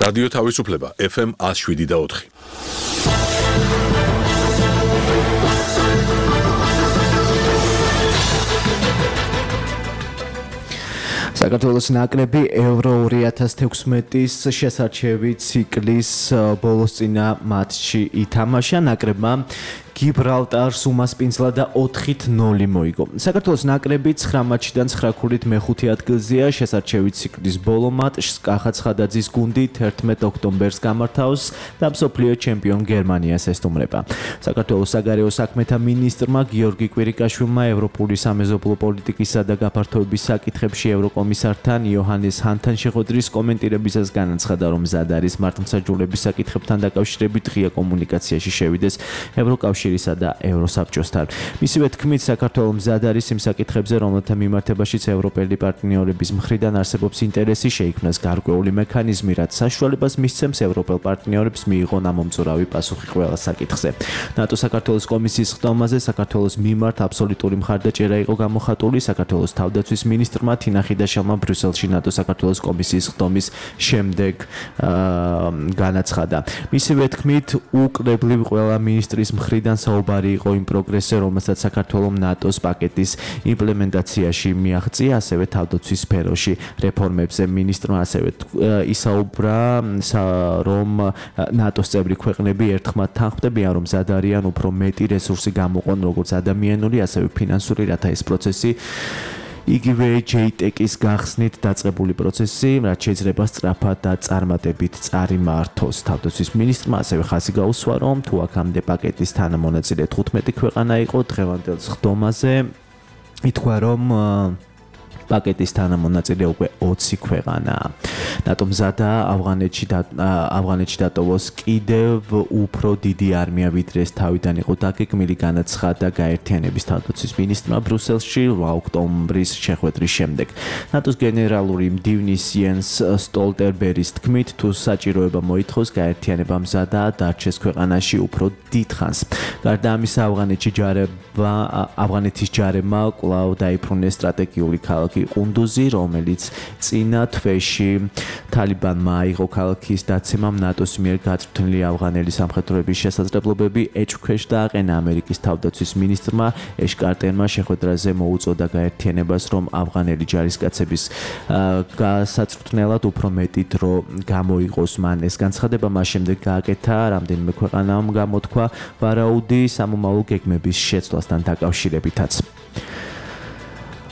რადიო თავისუფლება FM 107.4. საქართველოს ნაკრები ევრო 2016-ის შესარჩევი ციკლის ბოლოსწინა მატჩი ითამაშა. ნაკრებმა გიბრალტარს უმასპინძლა და 4-0 მოიგო. საქართველოს ნაკრები 9 მატჩიდან 9 ქულით მეხუთე ადგილზეა. შესარჩევი ციკლის ბოლო მატჩს კახა ცხადაძის გუნდი 11 ოქტომბერს გამართავს და მსოფლიო ჩემპიონ გერმანიას ესტუმრება. საქართველოს საგარეო საქმეთა მინისტრმა გიორგი კვირიკაშვილმა ევროპული სამეზობლო პოლიტიკისა და გაფართოების საკითხებში ევროკომისართან იოჰანეს ჰანთან შეხვედრის კომენტირებისას განაცხადა, რომ მზად არის მართლმსაჯულების საკითხებთან დაკავშირებით ღია კომუნიკაციაში შევიდეს ევროკავშირისა და ევროსაბჭოსთან. მისივე თქმით, საქართველოს მზად არის იმ საკითხებზე, რომელთა მიმართებაშიც ევროპელი პარტნიორების მხრიდან არსებობს ინტერესი, შეიქმნას გარკვეული მექანიზმი, რაც საშუალებას მისცემს ევროპელ პარტნიორებს მიიღონ ამომწურავი პასუხი ყველა საკითხზე. ნატო საქართველოს კომისიის ხდომაზე საქართველოს მიმართ აბსოლუტური მხარდაჭერა იყო გამოხატული. საქართველოს თავდაცვის მინისტრმა თინა ხიდაშელმა ბრიუსელში ნატო საქართველოს კომისიის ხდომის შემდეგ განაცხადა. მისივე თქმით, უკრებლივ ყველა მინისტრის მხრიდან საუბარი იყო იმ პროგრესზე, რომელსაც საქართველოს ნატოს პაკეტის იმპლემენტაციაში მიაღწია, ასევე თავდაცვის სფეროში რეფორმებზე. მინისტრმა ასევე ისაუბრა, რომ ნატოს წევრი ქვეყნები ერთხმად თანხმდებიან, რომ მზად არიან უფრო მეტი რესურსი გამოყონ როგორც ადამიანური, ასევე ფინანსური, რათა ეს პროცესი იგივე JTEC-ის გახსნით დაწყებული პროცესი, რაც შეიძლება სწრაფად და წარმატებით წარიმართოს. თავდაცვის მინისტრმა ასევე ხაზი გაუსვა, რომ თუ აქამდე პაკეტის თანამონაწილე 15 ქვეყანა იყო, დღევანდელ ხდომაზე ითქვა, რომ პაკეტის თანამონაწილე უკვე 20 ქვეყანაა. ნატო მზადაა ავღანეთში დატოვოს კიდევ უფრო დიდი არმია, ვიდრე ეს თავიდან იყო დაგეგმილი, განაცხადა გაერთიანების თავდაცვის მინისტრმა ბრიუსელში 8 ოქტომბრის შეხვედრის შემდეგ. ნატოს გენერალური მდივნის იენს სტოლტერბერის თქმით, თუ საჭიროება მოითხოვს, გაერთიანება მზადაა დარჩეს ქვეყანაში უფრო დიდ ხანს. გარდა ამისა, ავღანეთის ჯარებმა კვლავ დაიბრუნეს სტრატეგიული ქალაქი ყუნდუზი, რომელიც წინა თვეში თალიბანმა აიღო. ქალაქის დაცემამ ნატოს მიერ გაწვრთნილი ავღანელი სამხედროების შესაძლებლობები ეჭვქვეშ დააყენა. ამერიკის თავდაცვის მინისტრმა ეშ კარტერმა შეხვედრაზე მოუწოდა გაერთიანებას, რომ ავღანელი ჯარისკაცების გასაწვრთნელად უფრო მეტი დრო გამოიყოს. მან ეს განცხადება მას შემდეგ გააკეთა, რამდენიმე ქვეყანამ გამოთქვა ვარაუდი სამომავლო გეგმების შეცვლასთან დაკავშირებითაც.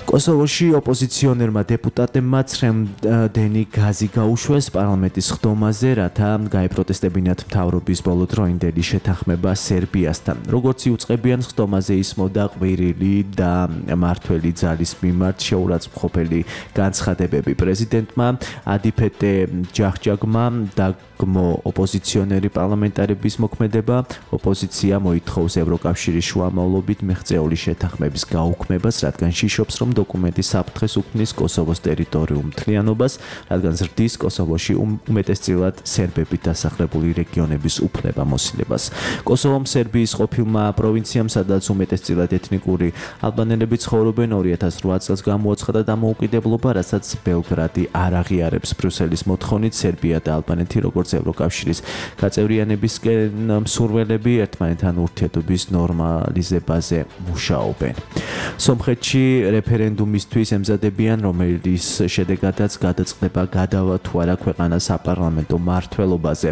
კოსოვოში ოპოზიციონერმა დეპუტატებმა ცრემლდენი გაზი გაუშვეს პარლამენტის ხდომაზე, რათა გაეპროტესტებინათ მთავრობის ბოლოდროინდელი შეთანხმება სერბიასთან. როგორც იუწყებიან, ხდომაზე ისმოდა ყვირილი და მართველი ძალის მიმართ შეურაცხმყოფელი განცხადებები. პრეზიდენტმა ადიფეტე ჯახჯაგმა დაგმო ოპოზიციონერი პარლამენტარების მოქმედება. ოპოზიცია მოითხოვს ევროკავშირის შუამავლობით მიღწეული შეთანხმების გაუქმებას, რადგან შიშობს, რომ დოკუმენტი საფრთხეს უქმნის კოსოვოს ტერიტორიულ მთლიანობას, რადგან ზრდის კოსოვოში უმეტესწილად სერბებით დასახლებული რეგიონების უფლებამოსილებას. კოსოვომ სერბიის ყოფილმა პროვინციამ, სადაც უმეტესწილად ეთნიკური ალბანელები ცხოვრობენ, 2008 წელს გამოაცხადა დამოუკიდებლობა, რასაც ბელგრადი არ აღიარებს. ბრიუსელის მოთხოვნით სერბია და ალბანეთი, როგორც ევროკავშირის გაწევრიანებისკენ მსურველები, ერთმანეთთან ურთიერთობის ნორმალიზებაზე მუშაობენ. სომხეთში რეფერენდუმისთვის ემზადებიან, რომელიც შედეგადაც გადაწყდება გადავა თუ არა ქვეყანას საპარლამენტო მმართველობაზე.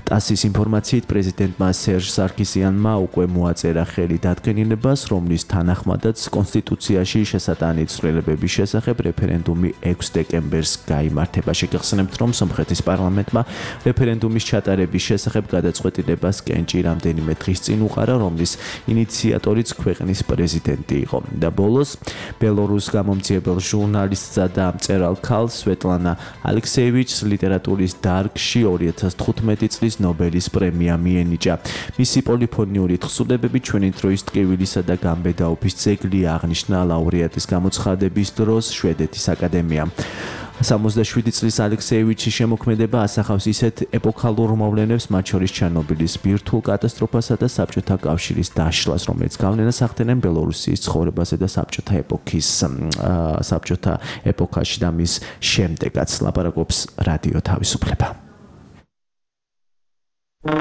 ტასის ინფორმაციით, პრეზიდენტმა სერჟ სარქისიანმა უკვე მოაწერა ხელი დადგენილებას, რომლის თანახმადაც კონსტიტუციაში შესატანი ცვლილებების შესახებ რეფერენდუმი 6 დეკემბერს გაიმართება. შეგახსენებთ, რომ სომხეთის პარლამენტმა რეფერენდუმის ჩატარების შესახებ გადაწყვეტილებას კენჭი რამდენიმე დღის წინ უყარა, რომლის ინიციატორიც ქვეყნის პრეზიდენტი იყო. და ბოლოს ბელორუს გამომძიებელ ჟურნალისტსა და მწერალ ქალს სვეტლანა ალექსეევიჩს ლიტერატურის დარგში 2015 წლის ნობელის პრემია მიენიჭა. მისი პოლიფონიური თხზულებები ჩვენი დროის ტკივილისა და გამბედაობის ძეგლი აღნიშნა ლაურეატის გამოცხადების დროს შვედეთის აკადემიამ. 67 წლის ალექსეევიჩის შემოქმედება ასახავს ისეთ ეპოქალურ მოვლენებს, მათ შორის ჩერნობილის ბირთვულ კატასტროფასა და საბჭოთა კავშირის დაშლას, რომელიც გავლენას ახდენენ ბელორუსიის ცხოვრებაზე და საბჭოთა ეპოქაში და მის შემდეგაც. ლაპარაკობს რადიო თავისუფლება. Heading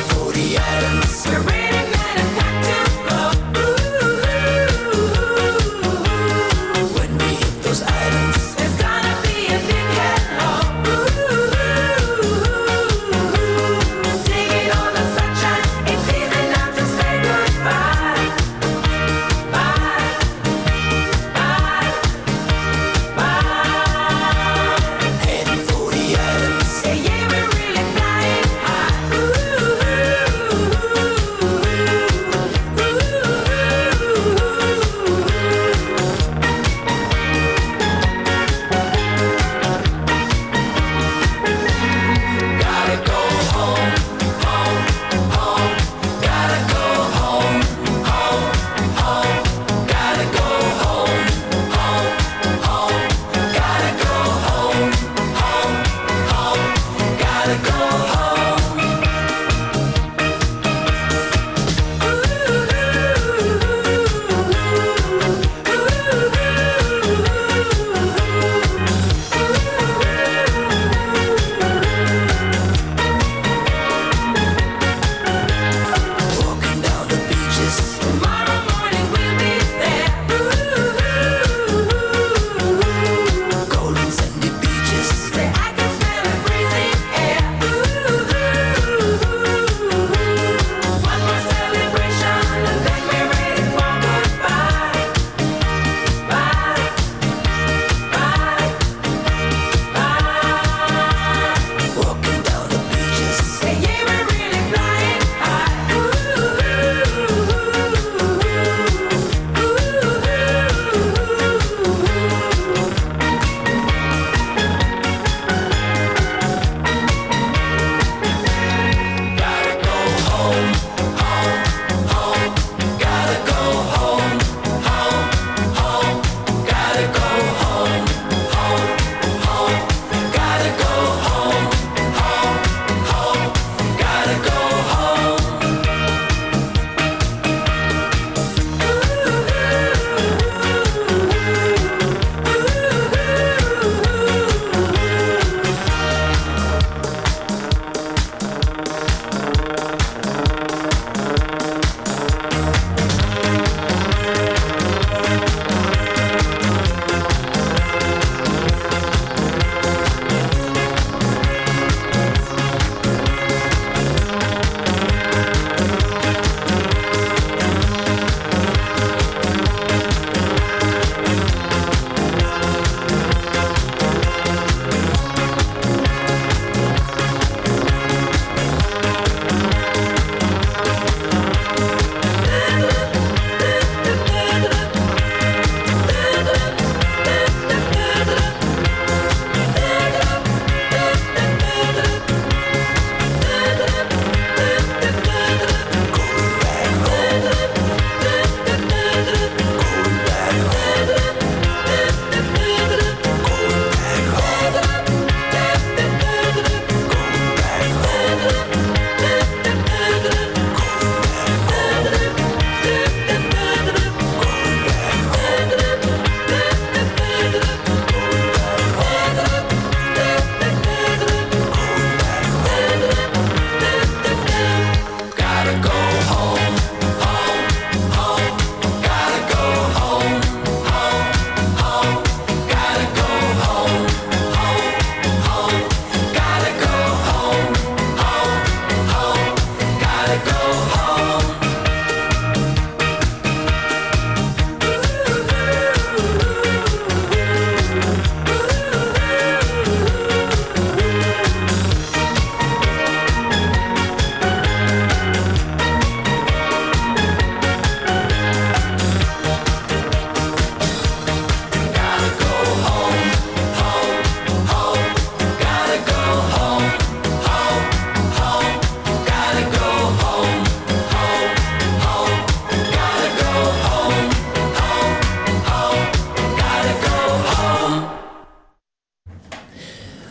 for the islands, you're ready, man, and got to go.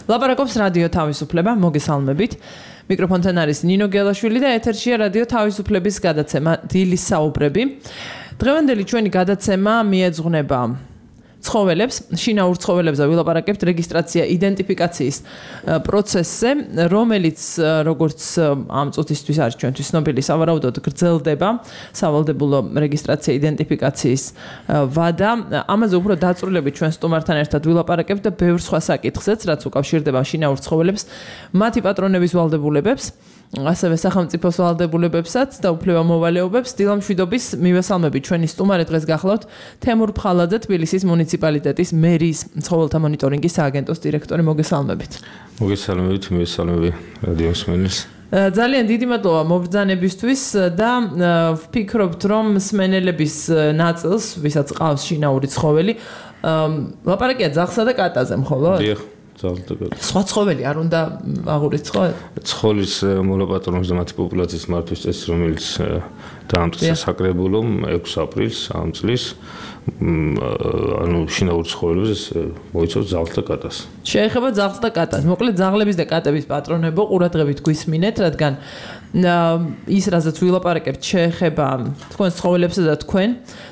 ლაპარაკობს რადიო თავისუფლება, მოგესალმებით. მიკროფონთან არის ნინო გელაშვილი და ეთერშია რადიო თავისუფლების გადაცემა დილის საუბრები. დღევანდელი ჩვენი გადაცემა მიეძღვნება ცხოველებს, შინაურ ცხოველებზე ვილაპარაკებთ რეგისტრაცია იდენტიფიკაციის პროცესზე, რომელიც როგორც ამ წუთისთვის არის ჩვენთვის ცნობილი, სავარაუდოდ გრძელდება სავალდებულო რეგისტრაცია იდენტიფიკაციის ვადა. ამაზე უფრო დაწვრილებით ჩვენ სტუმართან ერთად ვილაპარაკებთ და ბევრ სხვა საკითხზეც, რაც უკავშირდება შინაურ ცხოველებს, მათი პატრონების ვალდებულებებს, ასევე სახელმწიფოს ვალდებულებებსაც და უფლებამოვალეობებს. დილამშვიდობის მივესალმებით ჩვენი სტუმარი დღეს გახლავთ თემურ ფხალაძე, თბილისის მუნიციპალიტეტის მერის ცხოველთა მონიტორინგის სააგენტოს დირექტორი. მოგესალმებით. მოგესალმებით, მივესალმები რადიო მსმენელს. ძალიან დიდი მადლობა მობრძანებისთვის და ვფიქრობთ, რომ მსმენელების ნაწილს, ვისაც ყავს შინაური ცხოველი, ლაპარაკია ძაღლსა და კატაზე, მხოლოდ? დიახ. სხვა ცხოველი არ უნდა აღურიცხოთ? ცხოველის მოლაპატრონებს და მათი პოპულაციის მართვის წესი, რომელიც დაამტკიცა საკრებულომ 6 აპრილს ამ წლის, ანუ შინაურ ცხოველებს მოიცავს ძაღლს და კატას. შეეხება ძაღლს და კატას. მოკლედ ძაღლების და კატების პატრონებო ყურადღებით გვისმინეთ, რადგან ის რაზეც ვილაპარაკებთ შეეხება თქვენს ცხოველებსა და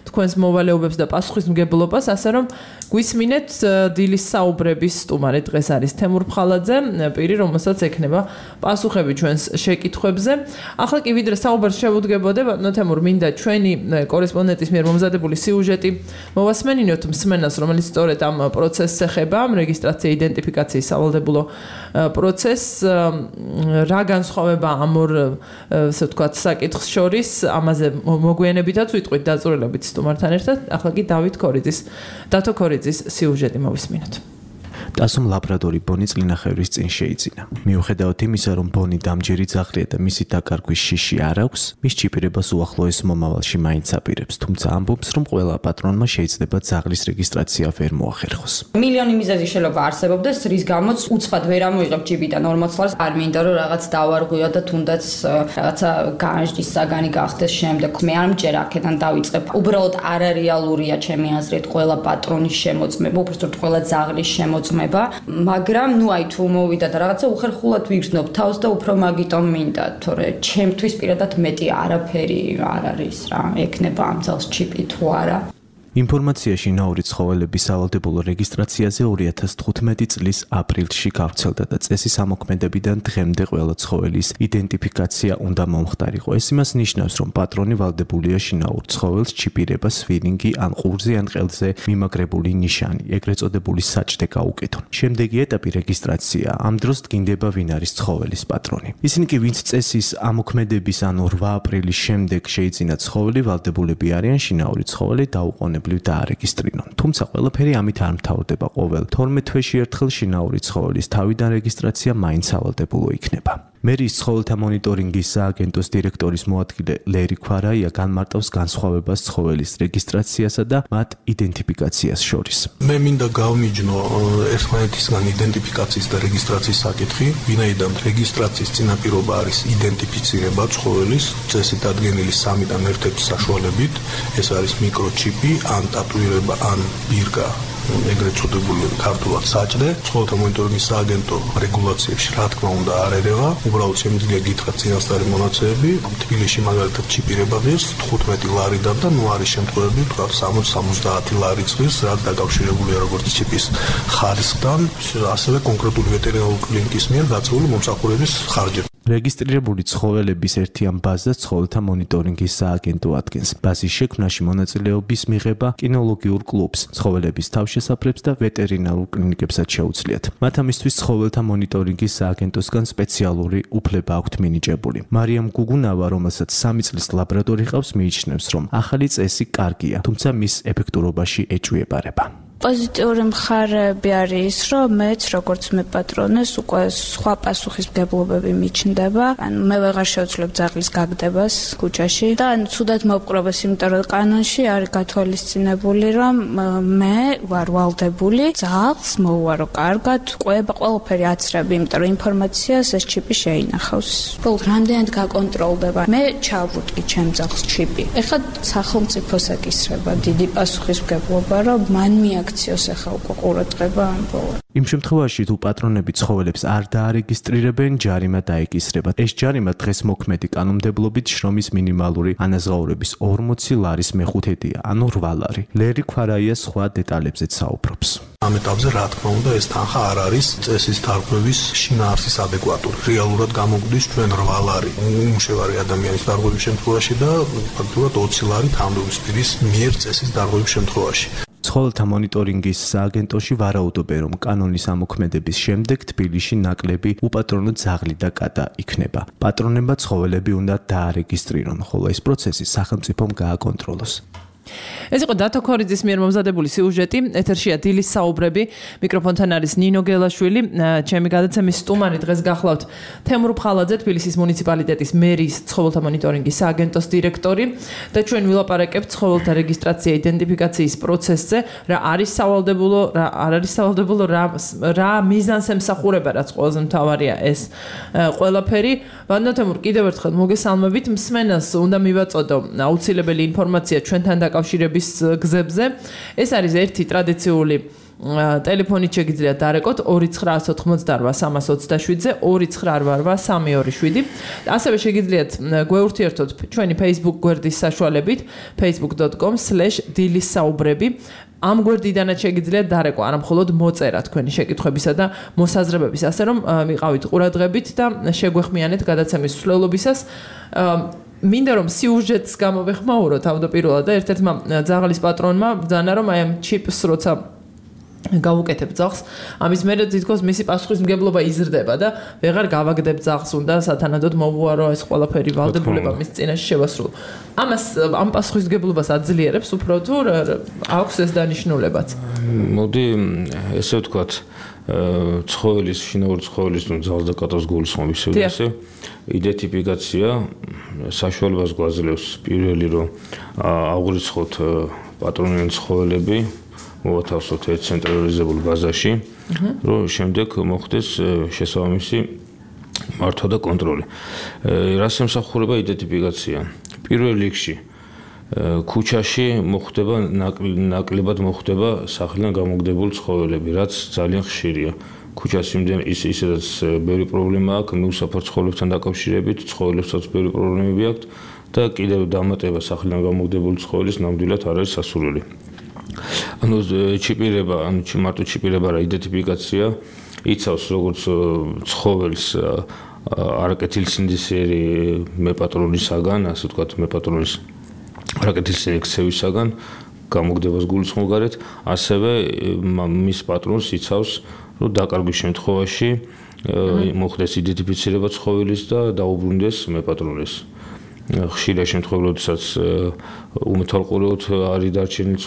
თქვენს მოვალეობებს და პასუხისმგებლობას, ასე რომ გვისმინეთ დილის საუბრების სტუმარი დღეს არის თემურ ფხალაძე, პირი, რომელსაც ექნება პასუხები ჩვენს შეკითხვებზე. ახლა კი ვიდრე საუბარს შევუდგებოდე, ბატონო თემურ, მინდა ჩვენი კორესპონდენტის მიერ მომზადებული სიუჟეტი მოვასმენინოთ მსმენელს, რომელიც სწორედ ამ პროცესს ეხება, რეგისტრაცია იდენტიფიკაციის სავალდებულო პროცესს, რა განსხვავება ამ ორ ასე ვთქვათ საკითხს შორის, ამაზე მოგვიანებითაც ვიტყვით დაწვრილებით სტუმართან ერთად. ახლა კი დათო ქორიძის სიუჟეტი მოვისმინოთ. ტასომ ლაბრადორი ბონი წლინახევრის წინ შეიძინა. მიუხედავად იმისა, რომ ბონი დამჯერი ძაღლია და მისი დაკარგვის შიში არ აქვს, მის ჩიპირებას უახლოეს მომავალში მაინც აპირებს, თუმცა ამბობს, რომ ყველა პატრონმა შეიძლება ძაღლის რეგისტრაცია ვერ მოახერხოს. მილიონი მიზეზი შეიძლება არსებობდეს, რის გამოც უცხად ვერ ამოიღებ ჯიბიდან 40 ლარს, არ მინდა რომ რაღაც დავარღვიო და თუნდაც რაღაცა განჯის საგანი გახდეს შემდეგ. მე არ მჯერ აქედან დავიწყებ. უბრალოდ არარეალურია ჩემი აზრით ყველა პატრონის შემოწმება, უბრალოდ ყველა ძაღლის შემოწმება. მაგრამ აი თუ მოვიდა და რაღაცა უხერხულად ვიგრძნობ თავს და უფრო მაგიტომ მინდა, თორე ჩემთვის პირადად მეტი არაფერი არ არის რა, ეკნება ამ ძაღლს ჩიპი თუ არა. ინფორმაცია შინაური ცხოველების სავალდებულო რეგისტრაციაზე 2015 წლის აპრილში გავრცელდა და წესის ამოქმედებიდან დღემდე ყველა ცხოველის იდენტიფიკაცია უნდა მომხდარიყო. ეს იმას ნიშნავს, რომ პატრონი ვალდებულია შინაურ ცხოველს ჩიპირება, სვირინგი ან ყურზე ან ყელზე მიმაგრებული ნიშანი, ეგრეთ წოდებული საჭდე გაუკეთონ. შემდეგი ეტაპი რეგისტრაცია. ამ დროს დგინდება ვინ არის ცხოველის პატრონი. ისინი კი, ვინც წესის ამოქმედების ან 8 აპრილის შემდეგ შეიძინა ცხოველი, ვალდებულები არიან შინაური ცხოველი დაუყოვნებლივ დაარეგისტრირონ. თუმცა ყველაფერი ამით არ მთავრდება. ყოველ 12 თვეში ერთხელ შინაური ცხოველის თავიდან რეგისტრაცია მაინც სავალდებულო იქნება. მერის ცხოველთა მონიტორინგის სააგენტოს დირექტორის მოადგილე ლერი ქვარაია განმარტავს განსხვავებას ცხოველის რეგისტრაციასა და მათ იდენტიფიკაციას შორის. მე მინდა გავმიჯნო ერთმანეთისგან იდენტიფიკაციის და რეგისტრაციის საკითხი, ვინაიდან რეგისტრაციის წინაპირობა არის იდენტიფიცირება ცხოველის წესით დადგენილი 3-დან ერთ-ერთი საშუალებით, ეს არის მიკროჩიპი, ან ტატუირება, ან ბირკა. ეგრეთ წოდებული ქართულად საჭდე. ცხოველთა მონიტორინგის სააგენტო რეგულაციებში რა თქმა უნდა არ ერევა. უბრალოდ შემიძლია გითხრათ წინასწარი მონაცემები. თბილისში მაგალითად ჩიპირება ღირს 15 ლარიდან და ნუ არის შემთხვევები, თქვა 60-70 ლარი ღირს, რაც დაკავშირებულია როგორც ჩიპის ხარისხთან, ასევე კონკრეტული ვეტერინარული კლინიკის მიერ გაწეული მომსახურების ხარჯებით. რეგისტრირებული ცხოველების ერთიან ბაზას ცხოველთა მონიტორინგის სააგენტო ადგენს. ბაზის შექმნაში მონაწილეობის მიღება კინოლოგიურ კლუბს, ცხოველების თავშესაფრებს და ვეტერინარულ კლინიკებსაც შეუძლიათ. მათ ამისთვის ცხოველთა მონიტორინგის სააგენტოსგან სპეციალური უფლება აქვთ მინიჭებული. მარიამ გუგუნავა, რომელსაც 3 წლის ლაბრადორი ყავს, მიიჩნევს, რომ ახალი წესი კარგია, თუმცა მის ეფექტურობაში ეჭვიებარება. პოზიტიური მხარეები არის ის, რომ მეც როგორც მე პატრონეს უკვე სხვა პასუხისმგებლობები მიჩნდება. ანუ მე ვეღარ შევძლებ ძაღლის გაგდებას ქუჩაში და ცუდად მოვყრობას, იმიტომ რომ კანონში არის გათვალისწინებული, რომ მე ვარ ვალდებული ძაღლს მოვუარო კარგად, ყველაფერი აცრები, იმიტომ რომ ინფორმაციას ეს ჩიპი შეინახავს. რამდენად გაკონტროლდება. მე ჩავუტკი ჩემ ძაღლს ჩიპი. ეხლა სახელმწიფოს ეკისრება დიდი პასუხისმგებლობა, რომ მან მიაქ აქციოს ახლა უკვე ყურადღება ამბოლა. იმ შემთხვევაში თუ პატრონები ცხოველებს არ დაარეგისტრირებენ, ჯარიმა დაეკისრება. ეს ჯარიმა დღეს მოქმედი კანონმდებლობით შრომის მინიმალური ანაზღაურების 40 ლარის მეხუთედია, ანუ 8 ლარი. ლერი ქვარაია სხვა დეტალებზეც საუბრობს. ამ ეტაპზე რა თქმა უნდა ეს თანხა არ არის წესის დარღვევის შინაარსის ადეკვატური. რეალურად გამოგვდის ჩვენ 8 ლარი უმშევარი ადამიანის დარღვევის შემთხვევაში და ფაქტობრივად 20 ლარი თანამდებობის პირის მიერ წესის დარღვევის შემთხვევაში. ცხოველთა მონიტორინგის სააგენტოში ვარაუდობენ, რომ კანონის ამოქმედების შემდეგ თბილისში ნაკლები უპატრონო ძაღლი და კატა იქნება. პატრონებმა ცხოველები უნდა დაარეგისტრირონ, ხოლო ეს პროცესი სახელმწიფომ გააკონტროლოს. ეს იყო დათო ქორიძის მიერ მომზადებული სიუჟეტი. ეთერშია დილის საუბრები. მიკროფონთან არის ნინო გელაშვილი. ჩემი გადაცემის სტუმარი დღეს გახლავთ თემურ ფხალაძე, თბილისის მუნიციპალიტეტის მერის ცხოველთა მონიტორინგის სააგენტოს დირექტორი და ჩვენ ვილაპარაკებთ ცხოველთა რეგისტრაცია იდენტიფიკაციის პროცესზე, რა არის სავალდებულო, რა არ არის სავალდებულო, რა მიზანს ემსახურება, რაც ყველაზე მთავარია ეს ყველაფერი. ვანდო თემურ, კიდევ ერთხელ მოგესალმებით. მსმენელს უნდა მივაწოდო აუცილებელი ინფორმაცია ჩვენთან დაკავშირების გზებზე. ეს არის ერთი ტრადიციული ტელეფონით შეგიძლიათ დარეკოთ 2988327-ზე 2988327. ასევე შეგიძლიათ გვეურთიერთოთ ჩვენი Facebook გვერდის საშუალებით facebook.com/დილისსაუბრები. ამ გვერდიდანაც შეგიძლიათ დარეკო არა მხოლოდ მოწერა თქვენი შეკითხვებისა და მოსაზრებების, ასე რომ მიყავით ყურადღებით და შეგვეხმიანეთ გადაცემის მსვლელობისას. მინდა რომ სიუჟეტს გამოვეხმაურო თავდაპირველად და ერთ-ერთმა ძაღლის პატრონმა ბრძანა რომ აი ამ ჩიპს როცა გავუკეთებ ძაღლს, ამის მერე თითქოს მისი პასუხისმგებლობა იზრდება და ვეღარ გავაგდებ ძაღლს, უნდა სათანადოდ მოვუარო ეს ყველაფერი ვალდებულება მის წინაშე შევასრულო. ამას ამ პასუხისმგებლობას აძლიერებს უფრო თუ აქვს ეს დანიშნულებაც? მოდი ესე ვთქვათ, ცხოველის, შინაური ცხოველის თუ ძაღლს და კატას გულისხმობის სიუჟეტი იდენტიფიკაცია საშუალებას გვაძლევს პირველი რომ აღვიცხოთ პატრონიანი ცხოველები, მოვათავსოთ ერთ ცენტრალიზებულ ბაზაში, რომ შემდეგ მოხდეს შესაბამისი მართვა და კონტროლი. რას ემსახურება იდენტიფიკაცია? პირველ რიგში ქუჩაში მოხდება ნაკლებად მოხდება სახლიდან გამოგდებულ ცხოველები, რაც ძალიან ხშირია. ქუჩას ისედაც ბევრი პრობლემა აქვს, მიუსაფარ ცხოველებთან დაკავშირებით, ცხოველებსაც ბევრი პრობლემები აქვს და კიდევ დამატება სახლიდან გამოგდებულ ცხოველის ნამდვილად არ არის სასურველი. ანუ ჩიპირება, მარტო ჩიპირება რა იდენტიფიკაცია იცავს როგორც ცხოველს არაკეთილსინდისიერი მეპატრონისაგან, ასე ვთქვათ, მეპატრონის არაკეთილსინდისიერი ქცევისაგან გამოგდებას გულისხმობგარეთ, ასევე მის პატრონს იცავს, რომ დაკარგვის შემთხვევაში მოხდეს იდენტიფიცირება ცხოველის და დაუბრუნდეს მეპატრონეს. ხშირია შემთხვევები, როდესაც უმეთვალყურეოდ არის დარჩენილი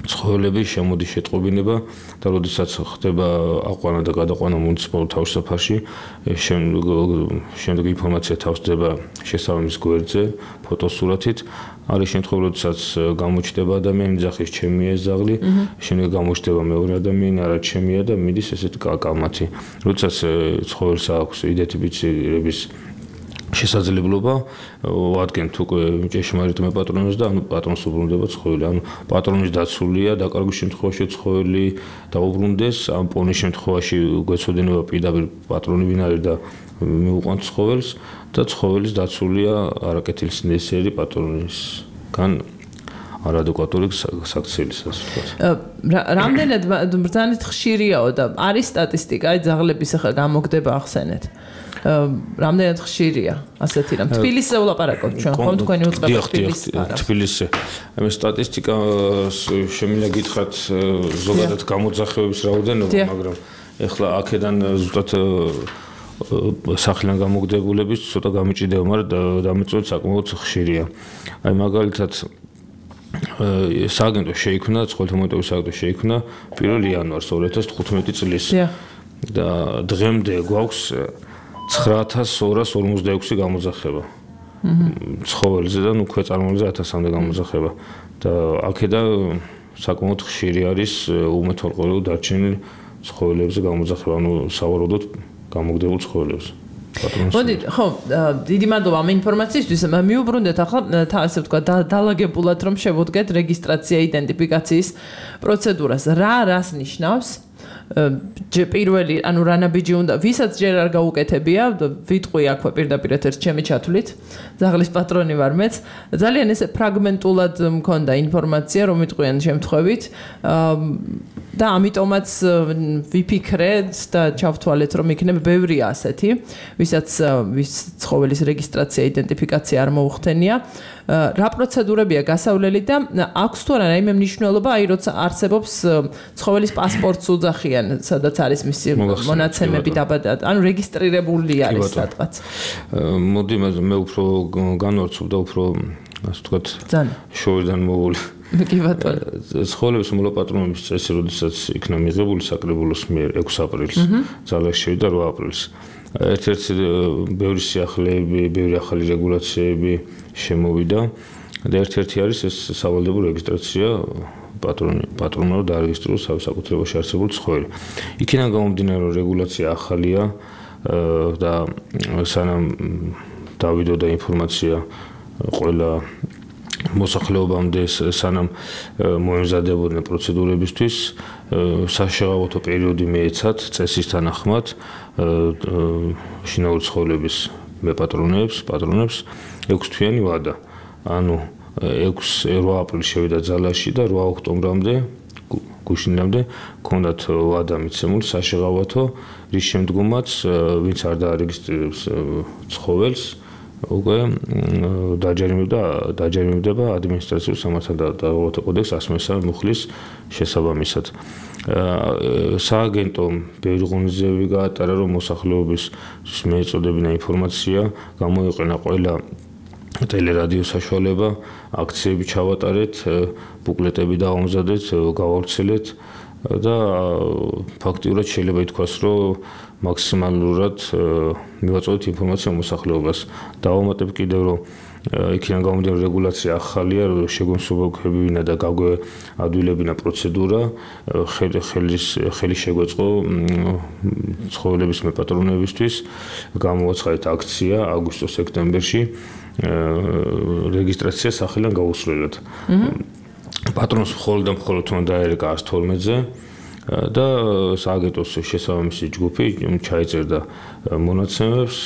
ცხოველები, შემოდის შეტყობინება და როდესაც ხდება აყვანა და გადაყვანა მუნიციპალურ თავშესაფარში, შემდეგ ინფორმაცია თავსდება შესაბამის გვერდზე, ფოტოსურათით. არის შემთხვევები, როდესაც გამოჩნდება ადამიანი, ძახის ჩემია ეს ძაღლი, შემდეგ გამოჩნდება მეორე ადამიანი, არა ჩემია და მიდის ესეთი კალმათი. როდესაც ცხოველს აქვს იდენტიფიცირების შესაძლებლობა ვადგენთ უკვე ჭეშმარიტ მეპატრონს და ანუ პატრონს უბრუნდება ცხოველი. ანუ პატრონის დაცულია, დაკარგვის შემთხვევაში ცხოველი დაუბრუნდეს, ამ პონის შემთხვევაში გვეცოდინება პირდაპირ პატრონი ვინ არის და მიუყვანთ ცხოველს და ცხოველის დაცულია არაკეთილსინდისიერი პატრონისგან არადეკვატური საქციელისას. რამდენად ბრძანეთ ხშირიაო და არის სტატისტიკა, აი ძაღლების ახლა გამოგდება ახსენეთ. რამდენად ხშირია ასეთი რამ? თბილისზე ვლაპარაკობთ ჩვენ, ხომ თქვენი უწყება თბილისში? თბილისში. მე სტატისტიკას შემიძლია გითხრათ ზოგადად გამოძახევების რაოდენობა, მაგრამ ეხლა აქედან ზუსტად სახლიდან გამოგდებულების ცოტა გამიჭირდება, მაგრამ დამეწოთ საკმაოდ ხშირია. აი მაგალითად სააგენტო შეიქმნა, ცხოველთა მონიტორინგის სააგენტო შეიქმნა 1 იანვარს 2015 წლის. და დღემდე გვაქვს 9246 გამოძახება. ცხოველზე და უკვე წარმოებზე 1000-მდე გამოძახება. და აქედან საკმაოდ ხშირი არის უმეთვალყურეოდ დარჩენილი ცხოველებზე გამოძახება, ანუ სავარაუდოდ გამოგდებულ ცხოველებზე. მოდი, ხო, დიდი მადლობა ამ ინფორმაციისთვის. მიუბრუნდეთ ახლა ასე ვთქვა დალაგებულად რომ შევუდგეთ რეგისტრაცია იდენტიფიკაციის პროცედურას. რას ნიშნავს? პირველი, ანუ რანაბიჯი უნდა, ვისაც ჯერ არ გაუკეთებია, ვიტყვი აქვე პირდაპირ ეთერში ჩემი ჩათვლით. ძაღლის პატრონი ვარ მეც. ძალიან ესე ფრაგმენტულად მქონდა ინფორმაცია, რომ ვიტყვიან შემთხვევით. და ამიტომაც ვიფიქრეთ და ჩავთვალეთ, რომ იქნება ბევრი ასეთი, ვისაც ცხოველის რეგისტრაცია, იდენტიფიკაცია არ მოუხდენია. რა პროცედურებია გასავლელი და აქვს თუ არა რაიმე მნიშვნელობა, აი როცა არსებობს ცხოველის პასპორტს უძახიან, სადაც არის მისი მონაცემები დაბადად, ანუ რეგისტრირებული არის სადღაც. მოდი მე უფრო განვარცხობ და უფრო ასე ვთქვათ, შორიდან მოვული. კი ბატონო. ცხოველების მოლაპატრონების წესი, როდესაც იქნა მიღებული საკრებულოს მიერ 6 აპრილს, ძალაში შევიდა 8 აპრილს. ერთ-ერთი ბევრი სიახლეები, ბევრი ახალი რეგულაციები შემოვიდა და ერთ-ერთი არის ეს სავალდებულო რეგისტრაცია პატრონმა რომ დაარეგისტრიროს საკუთრებაში არსებული ცხოველი. იქიდან გამომდინარე რომ რეგულაცია ახალია და სანამ დავიდოდა ინფორმაცია ყველა მოსახლეობამდე სანამ მოემზადებოდნენ პროცედურებისთვის საშეღავათო პერიოდი მიეცათ წესის თანახმად შინაური ცხოველების მეპატრონებს 6 თვიანი ვადა. ანუ 8 აპრილს შევიდა ძალაში და 8 ოქტომბრამდე გუშინამდე ჰქონდათ ვადა მიცემული საშეღავათო, რის შემდგომაც ვინც არ დაარეგისტრირებს ცხოველს უკვე დაჯერიმდება ადმინისტრაციულ სამართალდამცავ კოდექსს 103 მუხლის შესაბამისად. სააგენტომ ბევრი ღონისძიებები გაატარა, რომ მოსახლეობის მიეწოდებინა ინფორმაცია გამოიყენა ყველა ტელერადიო საშუალება, აქციები ჩავატარეთ, ბუკლეტები დავამზადეთ, გავავრცელეთ და ფაქტიურად შეიძლება ითქვას, რომ მაქსიმალურად მივაწოდეთ ინფორმაცია მოსახლეობას. დავამატებ კიდევ, რომ იქიდან გამომდინარე რეგულაცია ახალია, რომ შეგონსოლებინა და გაგვეადვილებინა პროცედურა, ხელი შეგვეწყო ცხოველების მეპატრონებისთვის, გამოაცხადეთ აქცია აგვისტო-სექტემბერში რეგისტრაცია სახელიდან გაუსვლელად. პატრონს მხოლოდ უნდა დაერეკა 112-ზე და სააგენტოს შესაბამისი ჯგუფი ჩაიწერდა მონაცემებს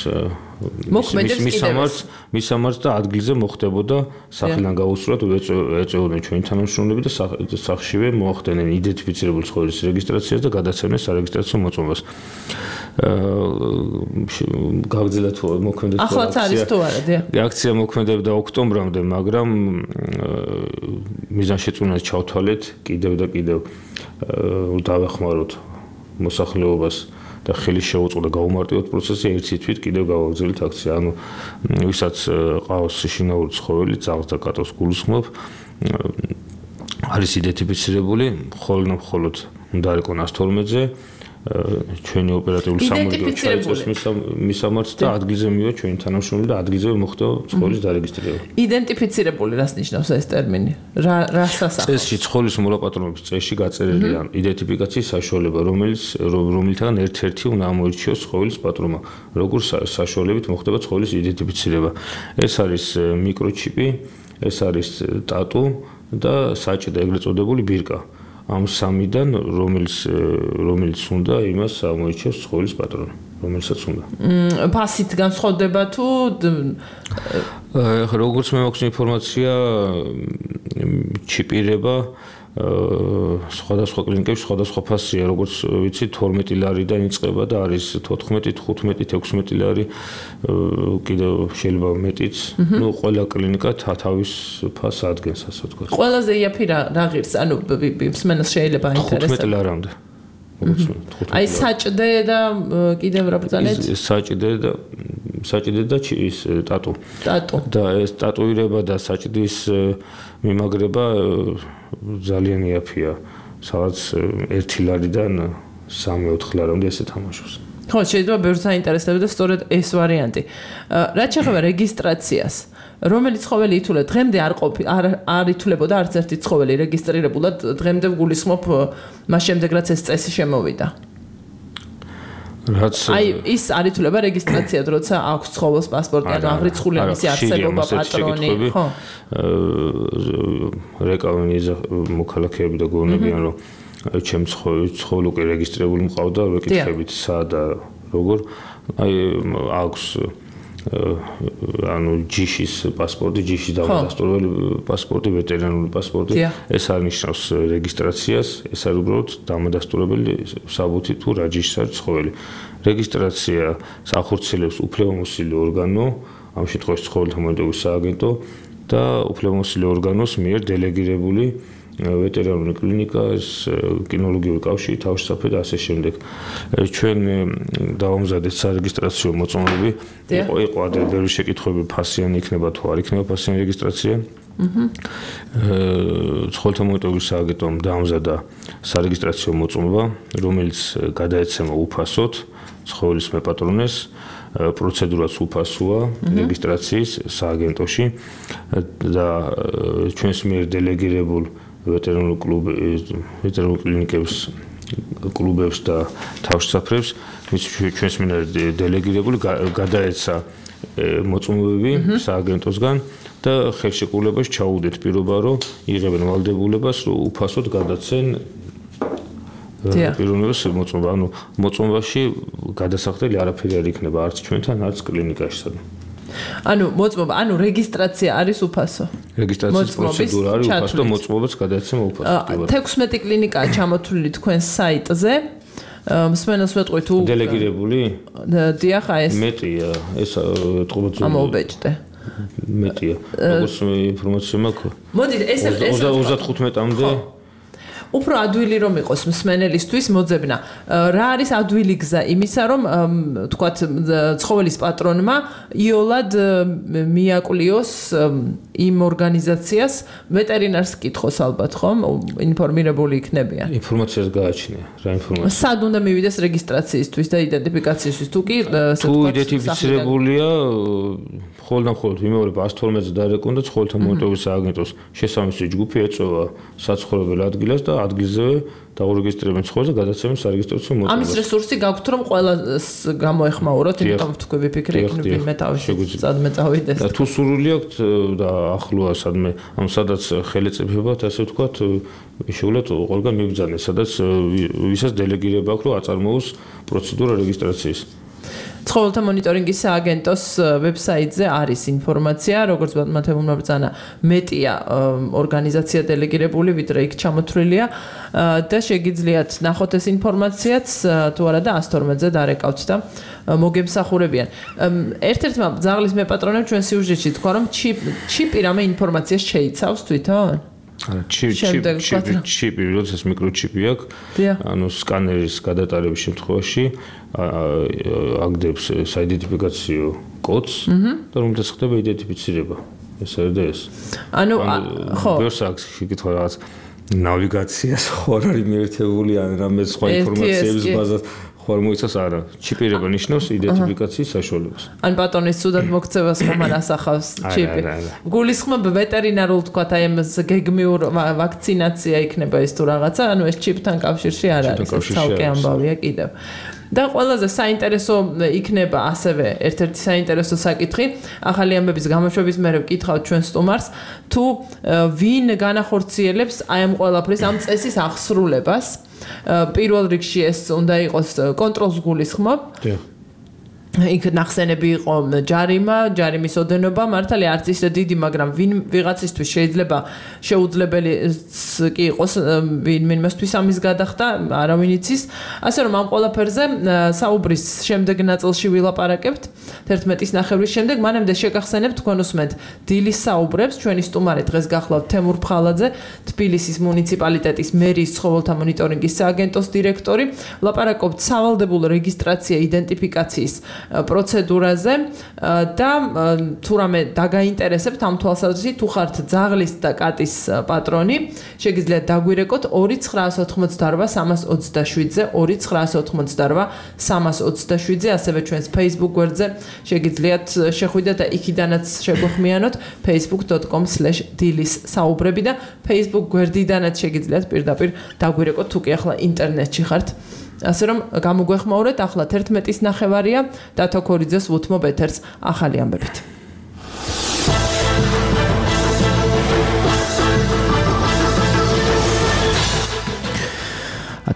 მის სამართ და ადგილზე მოხდებოდა სახელიდან გაუსვლელად ეწეოდნენ ჩვენი თანამშრომლები და სახშივე მოახდენენ იდენტიფიცირებული ცხოველის რეგისტრაციას და გადაცემდნენ სარეგისტრაციო მოწმობას. გაგრძელეთ მოქმედება ახლაც არის თუ არა აქცია მოქმედებდა ოქტომბრამდე, მაგრამ მიზანშეწონას ჩავთვალეთ კიდევ და კიდევ დავეხმაროთ მოსახლეობას და ხელი შეუწყო და გაუმარტივოთ პროცესი ერთი თვით კიდევ გავაგრძელეთ აქცია. ანუ ვისაც ყავს შინაური ცხოველი, ძაღლს და კატოს გულისხმობ, არის იდენტიფიცირებული, მხოლოდ უნდა არეკონ 112-ზე ჩვენი ოპერატიული სამორგო ჩაიწერს მის სამართს და ადგილზე მივა ჩვენი თანამშრომელი და ადგილზე მოხდება ცხოველის დარეგისტრირება. იდენტიფიცირებული რას ნიშნავს ეს ტერმინი? რა სასახელო? წესში ცხოველის მოლაპატრონების წესში გაწერილია იდენტიფიკაციის საშუალება, რომელთაგან ერთ-ერთი უნდა ამოირჩიოს ცხოველის პატრონმა, როგორც საშუალებით მოხდება ცხოველის იდენტიფიცირება. ეს არის მიკროჩიპი, ეს არის ტატუ და საჭირო ეგრეთ წოდებული ბირკა. ამ სამიდან რომელიც უნდა იმას ამოიჩევს ცხოველის პატრონი, რომელსაც უნდა. ფასით განსხვავდება თუ როგორც მე მაქვს ინფორმაცია, ჩიპირება სხვადასხვა კლინიკებში სხვადასხვა ფასია, როგორც ვიცი 12 ლარიდან იწყება და არის 14, 15, 16 ლარი, კიდევ შეიძლება მეტიც. ნუ ყველა კლინიკა თავის ფასს ადგენს, ასე ვთქვათ. ყველაზე იაფი რა ღირს, ანუ მსმენელს შეიძლება აინტერესებს 15 ლარამდე. აი საჭდე და კიდევ რა ბრძანეთ? საჭდე და ის ტატუ. და ეს ტატუირება და საჭდის მიმაგრება ძალიან იაფია. სადაც 1 ლარიდან 3-4 ლარამდე ესე თამაშობს. ხო, შეიძლება ბევრს აინტერესებდა სწორედ ეს ვარიანტი. რაც შეეხება რეგისტრაციას, რომელიც ცხოველი ითვლება, დღემდე არ ითვლებოდა არც ერთი ცხოველი რეგისტრირებულად, დღემდე გულისხმობ მას შემდეგ რაც ეს წესი შემოვიდა. აი ის არ ითვლება რეგისტრაციად, როცა აქვს ცხოველს პასპორტი, ანუ აღრიცხულია მისი არსებობა, პატრონი, ხო? რეკავენი მოქალაქეები და გონებიან, რომ ჩემ ცხოველ უკვე რეგისტრირებული მყავდა, ვეკითხებით სად და როგორ. აი აქვს ანუ ჯიშის პასპორტი, ჯიშის დამადასტურებელი პასპორტი, ვეტერინარული პასპორტი, ეს არ ნიშნავს რეგისტრაციას, ეს არის უბრალოდ დამადასტურებელი საბუთი თუ რა ჯიშის არის ცხოველი. რეგისტრაცია ახორციელებს უფლებამოსილი ორგანო, ამ შემთხვევაში ცხოველთა მონიტორინგის სააგენტო და უფლებამოსილი ორგანოს მიერ დელეგირებული ვეტერინარული კლინიკა, კინოლოგიური კავშირი, თავშესაფრი და ასე შემდეგ. ჩვენ დავამზადეთ სარეგისტრაციო მოწმობები. იყო ადრე ბევრი შეკითხვები, ფასიანი იქნება თუ არ იქნება ფასიანი რეგისტრაცია. ცხოველთა მონიტორინგის სააგენტომ დაამზადა სარეგისტრაციო მოწმობა, რომელიც გადაეცემა უფასოდ ცხოველის მეპატრონეს. პროცედურაც უფასოა რეგისტრაციის სააგენტოში და ჩვენს მიერ დელეგირებულ ვეტერინარულ კლინიკებს კლუბებს და თავშესაფრებს ჩვენს მიერ დელეგირებული გადაეცა მოწმობები სააგენტოსგან და ხელშეკრულებას ჩაუდეთ პირობა, რომ იღებენ ვალდებულებას, რომ უფასოდ გადაცენ პიროვნებას მოწმობა, ანუ მოწმობაში გადასახდელი არაფერი არ იქნება არც ჩვენთან, არც კლინიკაში. ანუ მოწმობა, ანუ რეგისტრაცია არის უფასო. რეგისტრაციის პროცედურა არის უფასო და მოწმობაც გადაეცემა უფასოდ. 16 კლინიკაა ჩამოთვლილი თქვენს საიტზე. მსმენელს ვეტყვი თუ დელეგირებული? დიახ, აი ეს. მეტია, ეს თყობაც ამოვბეჭდე. მეტია. როგორც ინფორმაცია მაქვს. მოდით, ეს 35-მდე უფრო ადვილი რომ იყოს მსმენელისთვის მოძებნა. რა არის ადვილი გზა იმისა, რომ თქვათ ცხოველის პატრონმა იოლად მიაკლიოს იმ ორგანიზაციას ვეტერინარს კითხოს ალბათ, ხომ? ინფორმირებული იქნებიან. ინფორმაციას გააჩნია. რა ინფორმაცია? სად უნდა მივიდეს რეგისტრაციისთვის და იდენტიფიკაციისთვის თუ კი თუ იდენტიფიცირებულია მხოლოდ იმეორებ 112-ზე დარეკონ და ცხოველთა მონიტორინგის სააგენტოს შესაბამისი ჯგუფი ეწევა საცხოვრებელ ადგილას და ადგილზევე დაურეგისტრირებენ ცხოველს და გადაცემენ სარეგისტრაციო მოწმობას. ამის რესურსი გაქვთ რომ ყველას გამოეხმაუროთ, იმიტომ თქვი ვიფიქრე მე თავში სადმე წავიდეს. და თუ სურვილი აქვთ და ახლოა სადმე, ანუ სადაც ხელეწიფებათ, ასე ვთქვათ, შეუძლოთ ყველგან მიბრძანეს, სადაც ვისაც დელეგირება აქვს, რომ აწარმოოს პროცედურა რეგისტრაციის. ცხოველთა მონიტორინგის სააგენტოს ვებსაიტზე არის ინფორმაცია, როგორც მათემატიკურმა ბრძანა მეტია ორგანიზაცია დელეგირებული, ვიდრე იქ ჩამოთვლილია და შეგიძლიათ ნახოთ ეს ინფორმაციაც თუ არა და 112-ზე დარეკავთ და მოგემსახურებიან. ერთ-ერთმა ძაღლის მეპატრონემ ჩვენ სიუჟეტში თქვა, რომ ჩიპი რამე ინფორმაციას შეიცავს თვითონ? ჩიპი, როდესაც მიკროჩიპი აქვს, ანუ სკანერის გადატარების შემთხვევაში აგდებს საიდენტიფიკაციო კოდს და რომელთაც ხდება იდენტიფიცირება. ეს არის და ეს. ანუ ხო. ბევრს აქვს შეკითხვა რაღაც ნავიგაციას ხო არ არის მიერთებული ან რამე სხვა ინფორმაციების ბაზას ხوار მოიცავს არა. ჩიპირება ნიშნავს იდენტიფიკაციის საშუალებას. ან პატრონის სუდად მოქცევას ხომ არ ასახავს ჩიპი. გულისხმობ ვეტერინარულ თქვათ აი ამ გეგმიურ ვაქცინაცია იქნება ეს თუ რაღაცა, ანუ ეს ჩიპთან კავშირში არ არის. ცალკე ამბავია კიდევ. და ყველაზე საინტერესო იქნება ასევე ერთ-ერთი საინტერესო საკითხი, ახალი ამბების გამოშვების მერე ვკითხავთ ჩვენ სტუმარს, თუ ვინ განახორციელებს აი ამ ყველაფრის ამ წესის აღსრულებას. პირველ რიგში ეს უნდა იყოს კონტროლს გულისხმობ. იქ ნახსენები იყო ჯარიმის ოდენობა, მართალია არც ისე დიდი, მაგრამ ვიღაცისთვის შეიძლება შეუძლებელი კი იყოს ვინმესთვის ამის გადახდა, არავინ იცის. ასე რომ ამ ყველაფერზე საუბრის შემდეგ ნაწილში ვილაპარაკებთ 11-ის ნახევრის შემდეგ, მანამდე შეგახსენებთ თქვენ უსმენთ დილის საუბრებს, ჩვენი სტუმარი დღეს გახლავთ თემურ ფხალაძე, თბილისის მუნიციპალიტეტის მერის ცხოველთა მონიტორინგის სააგენტოს დირექტორი. ვლაპარაკობთ სავალდებულ რეგისტრაცია იდენტიფიკაციის პროცედურაზე და თუ რამე დაგაინტერესებთ ამ თვალსაზრისით, თუ ხართ ძაღლის და კატის პატრონი, შეგიძლიათ დაგვირეკოთ 2988327-ზე, 2988327-ზე, ასევე ჩვენს Facebook გვერდზე შეგიძლიათ შეხვიდეთ და იქიდანაც შეგვეხმიანოთ facebook.com/dilis საუბრები და Facebook გვერდიდანაც შეგიძლიათ პირდაპირ დაგვირეკოთ, თუ კი ახლა ინტერნეტში ხართ ასე რომ გამოგვეხმაურეთ ახლა 11:09 დათო ქორიძეს ვუთმობ ეთერს ახალი ამბებით.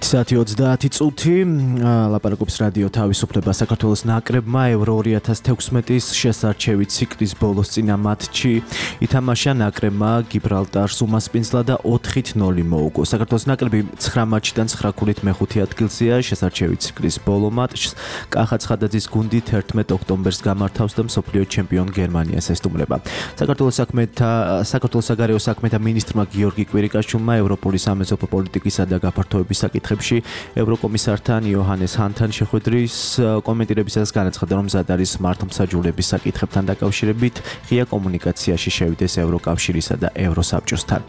საათი 30 წუთი ლაპარაკობს რადიო თავისუფლება საქართველოს ნაკრებმა Euro 2016-ის შესარჩევი ციკლის ბოლოს წინა მატჩი ითამაშა ნაკრებმა გიბრალტარს უმასპინძლა და 4-0 მოუგო. საქართველოს ნაკრები 9 მატჩიდან 9 ქულით მეხუთე ადგილზეა შესარჩევი ციკლის ბოლო მატჩს კახა ცხადაძის გუნდი 11 ოქტომბერს გამართავს და მსოფლიო ჩემპიონ გერმანიას ესტუმრება. საქართველოს საგარეო საქმეთა მინისტრმა გიორგი კვირიკაშვილმა ევროპული სამეზობლო პოლიტიკისა და გაფართოების საკითხებში ევროკომისართან იოჰანეს ჰანთან შეხვედრის კომენტირებისას განაცხადა, რომ მზად არის მართლმსაჯულების საკითხებთან დაკავშირებით ღია კომუნიკაციაში შევიდეს ევროკავშირისა და ევროსაბჭოსთან.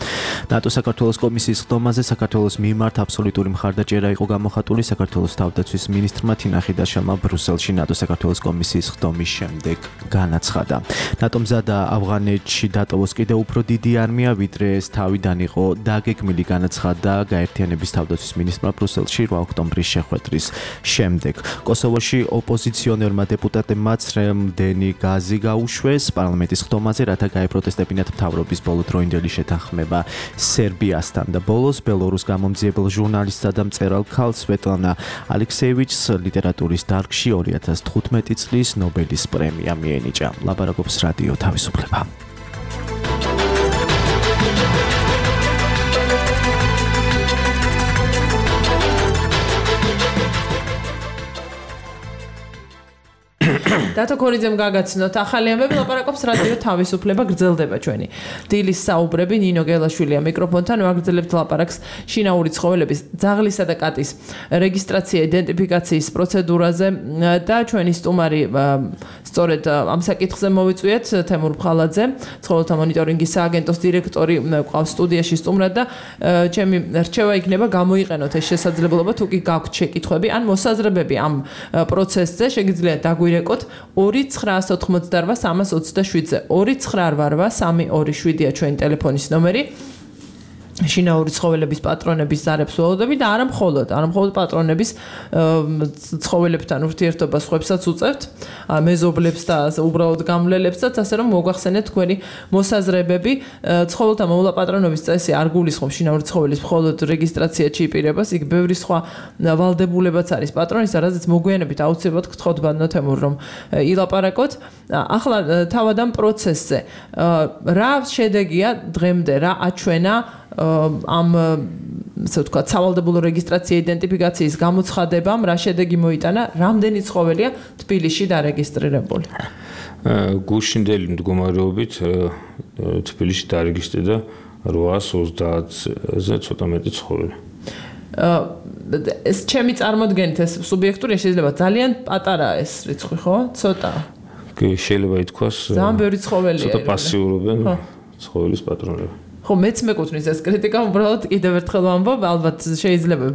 ნატო საქართველოს კომისიის ხდომაზე საქართველოს მიმართ აბსოლუტური მხარდაჭერა იყო გამოხატული საქართველოს თავდაცვის მინისტრმა თინა ხიდაშელმა ბრუსელში ნატო საქართველოს კომისიის ხდომის შემდეგ განაცხადა. ნატო მზადა ავღანეთში დატოვოს კიდევ უფრო დიდი არმია, ვიდრე ეს თავიდან იყო დაგეგმილი, განაცხადა გაერთიანების თავდაცვის მინისტრმა ბრუსელში 8 ოქტომბრის შეხვედრის შემდეგ. კოსოვოში ოპოზიციონერმა დეპუტატებმა ცრემლდენი გაზი გაუშვეს პარლამენტის ხდომაზე, რათა გაეპროტესტებინათ მთავრობის ბოლოდროინდელი შეთანხმება სერბიასთან და ბოლოს ბელორუს გამომძიებელ ჟურნალისტსა და მწერალ ქალ სვეტლანა ალექსეევიჩს ლიტერატურის დარგში 2015 წლის ნობელის პრემია მიენიჭა. ლაპარაკობს რადიო თავისუფლება. დათო ქორიძემ გაგაცნოთ ახალი ამბები, ლაპარაკობს რადიო თავისუფლება, გრძელდება ჩვენი დილის საუბრები. ნინო გელაშვილია მიკროფონთან, ვაგრძელებთ ლაპარაკს შინაური ცხოველების ძაღლისა და კატის რეგისტრაცია იდენტიფიკაციის პროცედურაზე და ჩვენი სტუმარი სწორედ ამ საკითხზე მოვიწვიეთ თემურ ფხალაძე, ცხოველთა მონიტორინგის სააგენტოს დირექტორი ყავს სტუდიაში სტუმრად და ჩემი რჩევა იქნება გამოიყენოთ ეს შესაძლებლობა, თუ კი გაქვთ შეკითხვები ან მოსაზრებები ამ პროცესზე, შეგიძლიათ დაგვირეკოთ 2-988-327-ზე 2-988-327-ია ჩვენი ტელეფონის ნომერი. შინაური ცხოველების პატრონების ზარებს ველოდები და არა მხოლოდ პატრონების ცხოველებთან ურთიერთობას ხვებსაც უწევთ, მეზობლებს და უბრალოდ გამლელებსაც, ასე რომ მოგახსენეთ თქვენი მოსაზრებები. ცხოველთა მოვლაპატრონობის წესი არ გულისხმობს შინაური ცხოველის მხოლოდ რეგისტრაცია ჩიპირებას, იქ ბევრი სხვა ვალდებულებაც არის პატრონის, რაზეც მოგვიანებით აუცილებლად გთხოვთ ბანო თემურ, რომ ილაპარაკოთ. ახლა თავად ამ პროცესზე რა შედეგია დღემდე, რა აჩვენა ამ ასე ვთქვათ სავალდებულო რეგისტრაცია იდენტიფიკაციის გამოცხადებამ, რა შედეგი მოიტანა, რამდენი ცხოველია თბილისში დარეგისტრირებული? გუშინდელი მდგომარეობით თბილისში დარეგისტრირდა 830-ზე ცოტა მეტი ცხოველი. ეს ჩემი წარმოდგენით ეს სუბიექტურია, შეიძლება ძალიან პატარაა ეს რიცხვი, ხო? ცოტა. კი, შეიძლება ითქვას. ძალიან ბევრი ცხოველია. ცოტა პასიურობენ ცხოველის პატრონები. ხო, მეც მეკუთვნის ეს კრიტიკა, უბრალოდ კიდევ ერთხელ ვამბობ, ალბათ შეიძლება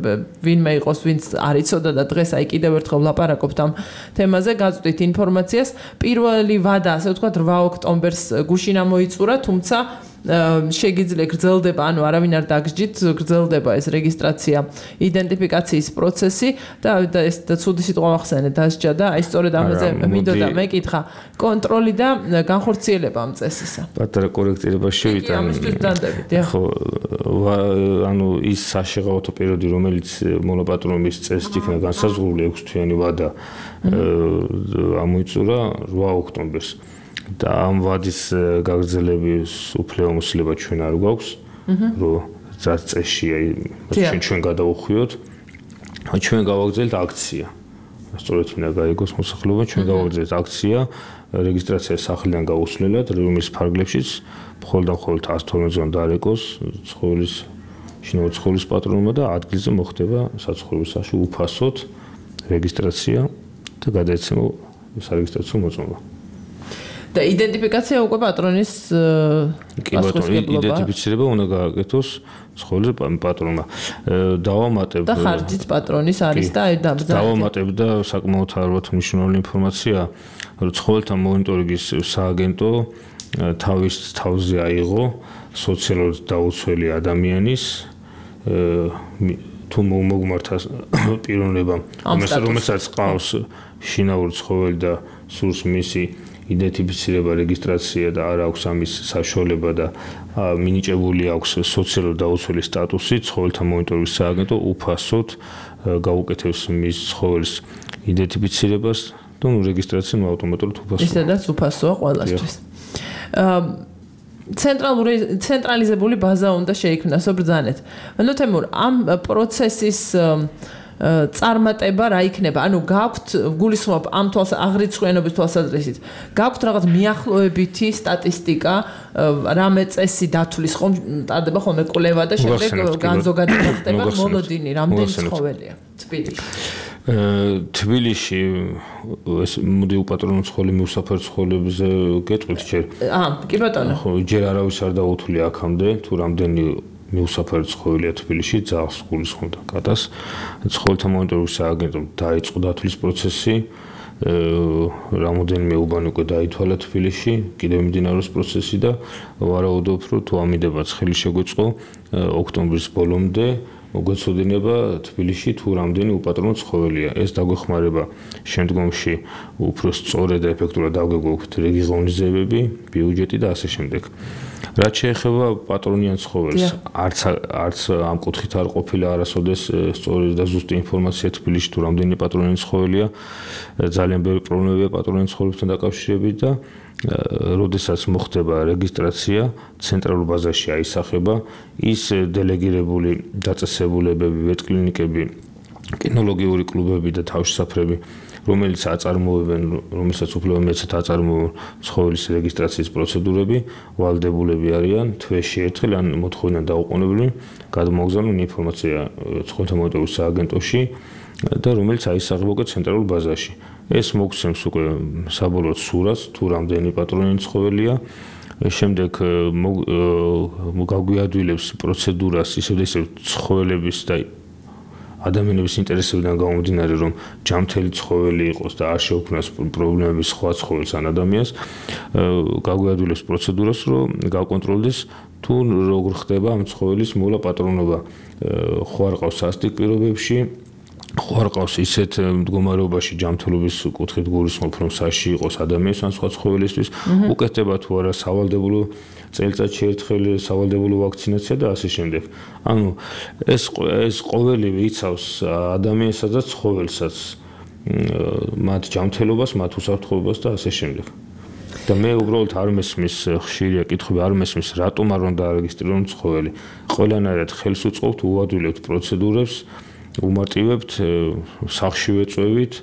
ვინმე იყოს, ვინც არ იცოდა და დღეს აი კიდევ ერთხელ ლაპარაკობთ ამ თემაზე, გაწვდით ინფორმაციას. პირველი ვადა, ასე ვთქვათ, 8 ოქტომბერს გუშინ ამოიწურა, თუმცა შეგიძლია გრძელდება, ანუ არავინ არ დაგსჯით, გრძელდება ეს რეგისტრაცია იდენტიფიკაციის პროცესი და ეს ცუდი სიტყვა ახსენე დასჯა და აი სწორედ ამაზე მინდოდა მეკითხა კონტროლი და განხორციელება ამ წესისა. პატარა კორექტირება შევიტანე. ამისთვის დანდებით, ხო, ანუ ის საშეღავათო პერიოდი, რომელიც მონოპატრონობის წესით იქნა განსაზღვრული 6 თვიანი ვადა ამოიწურა 8 ოქტომბერს. და ამ ვადის გაგრძელების უფლება ჩვენ არ გვაქვს, რომ წესში ჩვენ გადავუხვიოთ. ჩვენ გავაგრძელებთ აქცია. სწორედ მინდა გაიგოს მოსახლეობა, ჩვენ გავაგრძელებთ აქცია რეგისტრაცია სახლიდან გაუსვლელად, რომლის ფარგლებშიც მხოლოდ 112-ზეან დარეკოს ცხოველის შინაური ცხოველის პატრონობა და ადგილზე მოხდება საცხოვრებელში უფასოდ რეგისტრაცია და გადაეცემა სარეგისტრაციო მოწმობა. და იდენტიფიკაცია უკვე პატრონის იდენტიფიცირება უნდა გააკეთოს ცხოველის პატრონმა. დავამატებ და ხარჯით პატრონის არის და აი დავამატებ და საკმაოდ ალბათ მნიშვნელოვანი ინფორმაცია, რომ ცხოველთა მონიტორინგის სააგენტო თავის თავზე აიღო სოციალურად დაუცველი ადამიანის თუ მოგმართა პიროვნებამ რომელსაც ყავს შინაური ცხოველი და სურს მისი იდენტიფიცირება, რეგისტრაცია და არ აქვს ამის საშუალება და მინიჭებული აქვს სოციალური დაუცველი სტატუსი, ცხოველთა მონიტორინგის სააგენტო უფასოდ გაუკეთებს მის ცხოველის იდენტიფიცირებას და რეგისტრაცია ავტომატურად უფასოა. ისედაც უფასოა ყველასთვის. ცენტრალიზებული ბაზა უნდა შეიქმნას ბრძანეთ. ანუ თემურ ამ პროცესის წარმატება რა იქნება? ანუ გაქვთ გულისხმობ ამ აღრიცხვიანობის თვალსაზრისით. გაქვთ რაღაც მიახლოებითი სტატისტიკა, რამე წესი დათვლის ხომ ტარდება ხოლმე კვლევა და შემდეგ განზოგადება ხდება მოლოდინი, რამდენი ცხოველია თბილისში? თბილისში ეს მოდი უპატრონო ცხოველი მიუსაფრ ცხოველებზე გეტყვით ჯერ. კი ბატონო. ხო, ჯერ არავის არ დაუთვლია აქამდე თუ რამდენი მიუსაფრ ცხოველია თბილისში, ძაღლს გულისხმობდა კატას. ცხოველთა მონიტორინგის სააგენტომ დაიწყო დათვლის პროცესი. რამოდენიმე უბანი უკვე დაითვალა თბილისში, კიდევ მიმდინარეობს პროცესი და ვარაუდობ, რომ თუ ამიდებაც ხელი შეგვეწყო ოქტომბრის ბოლომდე მოგვეცოდინება თბილისში თუ რამდენი უპატრონო ცხოველია. ეს დაგვეხმარება შემდგომში უფრო სწორედ და ეფექტურად დავგეგმოთ რეგიონიზებები, ბიუჯეტი და ასე შემდეგ. რაც შეეხება პატრონიან ცხოველს, არც ამ კუთხით არ ყოფილა არასოდეს სწორი და ზუსტი ინფორმაცია თბილისში თუ რამდენი პატრონიანი ცხოველია. ძალიან ბევრი პრობლემებია პატრონიან ცხოველებთან დაკავშირებით და როდესაც მოხდება რეგისტრაცია, ცენტრალურ ბაზაში აისახება ის დელეგირებული დაწესებულებები, ვეტკლინიკები, კინოლოგიური კლუბები და თავშესაფრები, რომელიც აწარმოებენ, რომელსაც უფლება მეცათ აწარმოებენ ცხოველის რეგისტრაციის პროცედურები, ვალდებულები არიან თვეში ერთხელ ან მოთხოვნიდან დაუყოვნებლივ გადმოგზავნონ ინფორმაცია ცხოველთა მონიტორინგის სააგენტოში და რომელიც აისახება უკვე ცენტრალურ ბაზაში. ეს მოგცემს უკვე საბოლოო სურათს, თუ რამდენი პატრონიანი ცხოველია. შემდეგ გაგვიადვილებს პროცედურას ისევ ცხოველების და ადამიანების ინტერესებიდან გამომდინარე, რომ ჯამთელი ცხოველი იყოს და არ შეუქმნას პრობლემები სხვა ცხოველს ან ადამიანს, გაგვიადვილებს პროცედურას, რომ გავკონტროლდეს თუ როგორ ხდება ამ ცხოველის მოლა პატრონობა. ხო არ ყავს სასტიკ პირობებში, ხო არ ყავს ისეთ მდგომარეობაში ჯამთელობის კუთხით გულისხმობ, რომ საში იყოს ადამიანს ან სხვა ცხოველისთვის, უკეთდება თუ არა სავალდებულო წელიწადში ერთხელ სავალდებულო ვაქცინაცია და ასე შემდეგ. ანუ ეს ყოველივე იცავს ადამიანსაც და ცხოველსაც, მათ ჯამთელობას, მათ უსაფრთხოებას და ასე შემდეგ. და მე უბრალოდ არ მესმის ხშირია კითხვები, არ მესმის რატომ არ უნდა არეგისტრირონ ცხოველი. ყველანაირად ხელს უწყობთ, უადვილებთ პროცედურებს, უმარტივებთ, სახში ვეწვევით,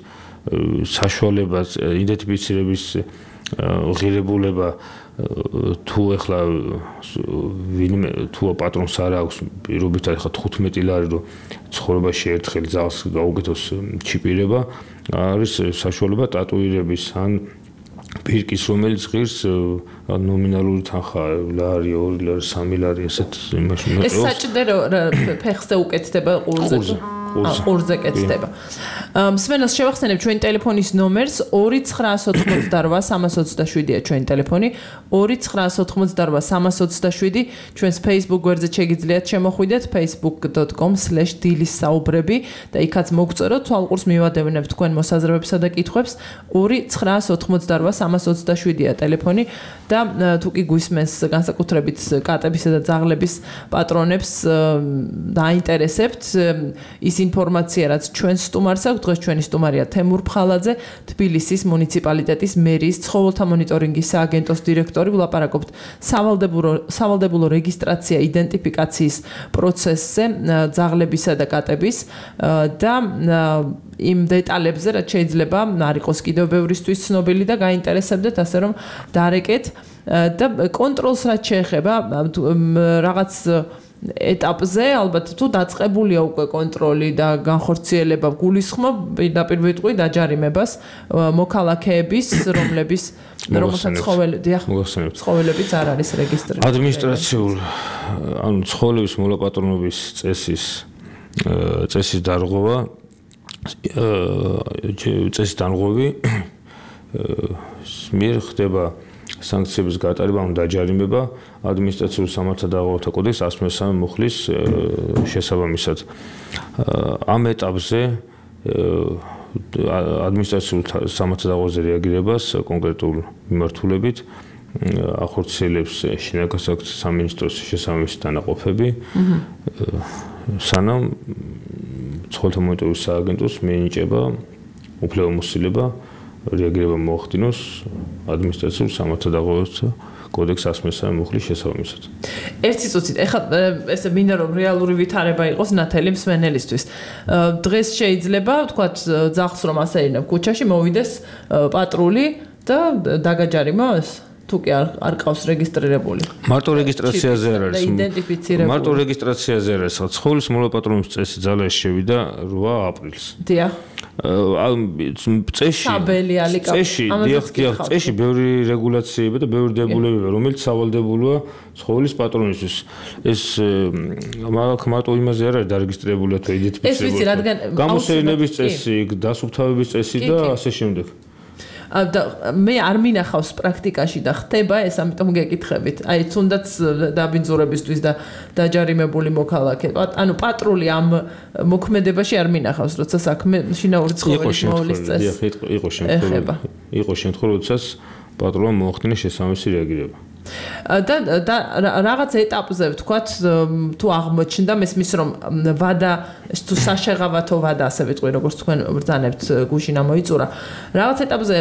საშუალებას იდენტიფიცირების ღირებულება თუ ეხლა თუ პატრონს არ აქვს პირობითად ეხლა 15 ლარი რომ ცხოვრებაში ერთხელ ძაღლს გაუკეთოს ჩიპირება, არის საშუალება ტატუირების ან პირკის რომელიც ღირს ნომინალური თანხა ლარი, 2 ლარი, 3 ლარი ესეთ იმაში მეტყველს. ეს საჭირო ფეხზე უკეთდება ყურზე კეთდება. მსმენელს შევახსენებ ჩვენი ტელეფონის ნომერს 2988327-327-ია ჩვენი ტელეფონი 2988327 ჩვენს Facebook გვერდზე შეგიძლიათ შემოხვიდეთ facebook.com/dilissaobrები და იქაც მოგწეროთ თვალყურს მივადევნებ თქვენ მოსაზრებებსა და კითხვებს 2988327-ია ტელეფონი და თუ კი გვისმენს განსაკუთრებით კატებისა და ძაღლების პატრონებს დაინტერესებთ ის ინფორმაცია რაც ჩვენ სტუმარს აქვს დღეს ჩვენი სტუმარია თემურ ფხალაძე თბილისის მუნიციპალიტეტის მერიის ცხოველთა მონიტორინგის სააგენტოს დირექტორი ვლაპარაკობთ სავალდებულო რეგისტრაცია იდენტიფიკაციის პროცესზე ძაღლებისა და კატების და იმ დეტალებზე რაც შეიძლება არ იყოს კიდევ ბევრისთვის ცნობილი და გაინტერესებდეთ ასე რომ დარეკეთ და კონტროლს რაც შეეხება რაღაც ეტაპზე ალბათ თუ დაწყებულია უკვე კონტროლი და განხორციელება გულისხმობ პირდაპირ ვიტყვი დაჯარიმებას მოქალაქეების რომლებიც ცხოველებიც არ არის რეგისტრირებული ადმინისტრაციულ ანუ ცხოველების მოლაპატრონობის წესის დარღვევა წესის დარღვევი მიერ ხდება სანქციების გატარება ან დაჯარიმება ადმინისტრაციულ სამართალდაღოვათა კოდექსის 113 მუხლის შესაბამისად. ამ ეტაპზე ადმინისტრაციულ სამართალდაღოვაზე რეაგირებას კონკრეტულ მიმართულებით ახორციელებს შინაგანსაკუთრების სამინისტროს შესაბამისი დანაყოფები. სანამ ცხოველთა მონიტორინგის სააგენტოს მიენიჭება უფლებამოსილება რეაგირება მოახდინოს ადმინისტრაციულ სამართალდაღოვათა კოდექსის 113 მუხლის შესაბამისად. ერთი წუთით, ეხლა ესე მინდა რომ რეალური ვითარება იყოს ნათელი მსმენელისთვის. დღეს შეიძლება ვთქვათ ძახს რომ ასე იქნება ქუჩაში მოვიდეს პატრული და დაგაჯარიმოს? თუ კი არ ყავს რეგისტრირებული. მარტო რეგისტრაციაზე არ არის. მარტო რეგისტრაციაზე არ არის. ცხოველის მოლაპატრონების წესი ძალაში შევიდა 8 აპრილს. დიახ. წეში ბევრი რეგულაციები და ბევრი დებულებია, რომელიც სავალდებულოა ცხოველის პატრონისთვის. ეს მარტო იმაზე არ არის დარეგისტრირებული თუ იდენტიფიცირებული. გამოსეირნების წესი, დასუფთავების წესი და ასე შემდეგ. მე არ მინახავს პრაქტიკაში და ხდება ეს, ამიტომ გეკითხებით. აი, თუნდაც დაბინძურებისთვის და დაჯარიმებული მოქალაქე. ანუ პატრული ამ მოქმედებაში არ მინახავს, როცა საქმე შინაური ცხოველის მოვლის წესს. იყო შემთხვევა, როდესაც პატრულმა მოახდინა შესაბამისი რეაგირება. და რაღაც ეტაპზე ვთქვათ თუ აღმოჩნდა მესმის რომ ვადა თუ საშეღავათო ვადა ასე ვიტყვი როგორც თქვენ ბრძანებთ გუშინ ამოიწურა რაღაც ეტაპზე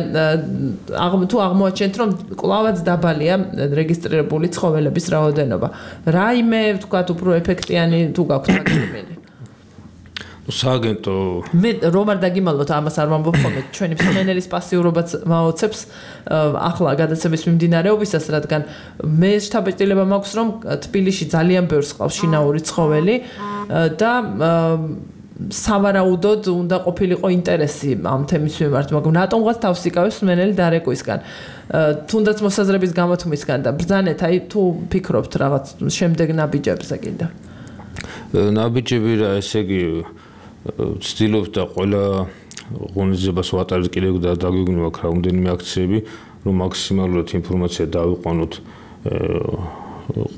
თუ აღმოაჩენთ რომ კლავაც დაბალია რეგისტრირებული ცხოველების რაოდენობა რაიმე ვთქვათ უფრო ეფექტიანი თუ გაქვთ მაგალითად სააგენტო მე რომ არ დაგიმალოთ ამას არ ვამბობ ხოლმე ჩვენი მსმენელის პასიურობაც მაოცებს ახლა გადაცემის მიმდინარეობისას რადგან მე შთაბეჭდილება მაქვს რომ თბილისში ძალიან ბევრს ყავს შინაური ცხოველი და სავარაუდოდ უნდა ყოფილიყო ინტერესი ამ თემის მიმართ მაგრამ რატომღაც თავს იკავებს მსმენელი დარეკვისგან თუნდაც მოსაზრების გამოთქმისგან და ბრძანეთ აი თუ ფიქრობთ რაღაც შემდეგ ნაბიჯებზე კიდე ნაბიჯები რა ესე იგი ვცდილობთ და ყველა ღონისძიებას ვატარებთ კიდევ და დაგვიგნო აქ რამდენიმე აქციები რომ მაქსიმალურად ინფორმაცია დავიყვანოთ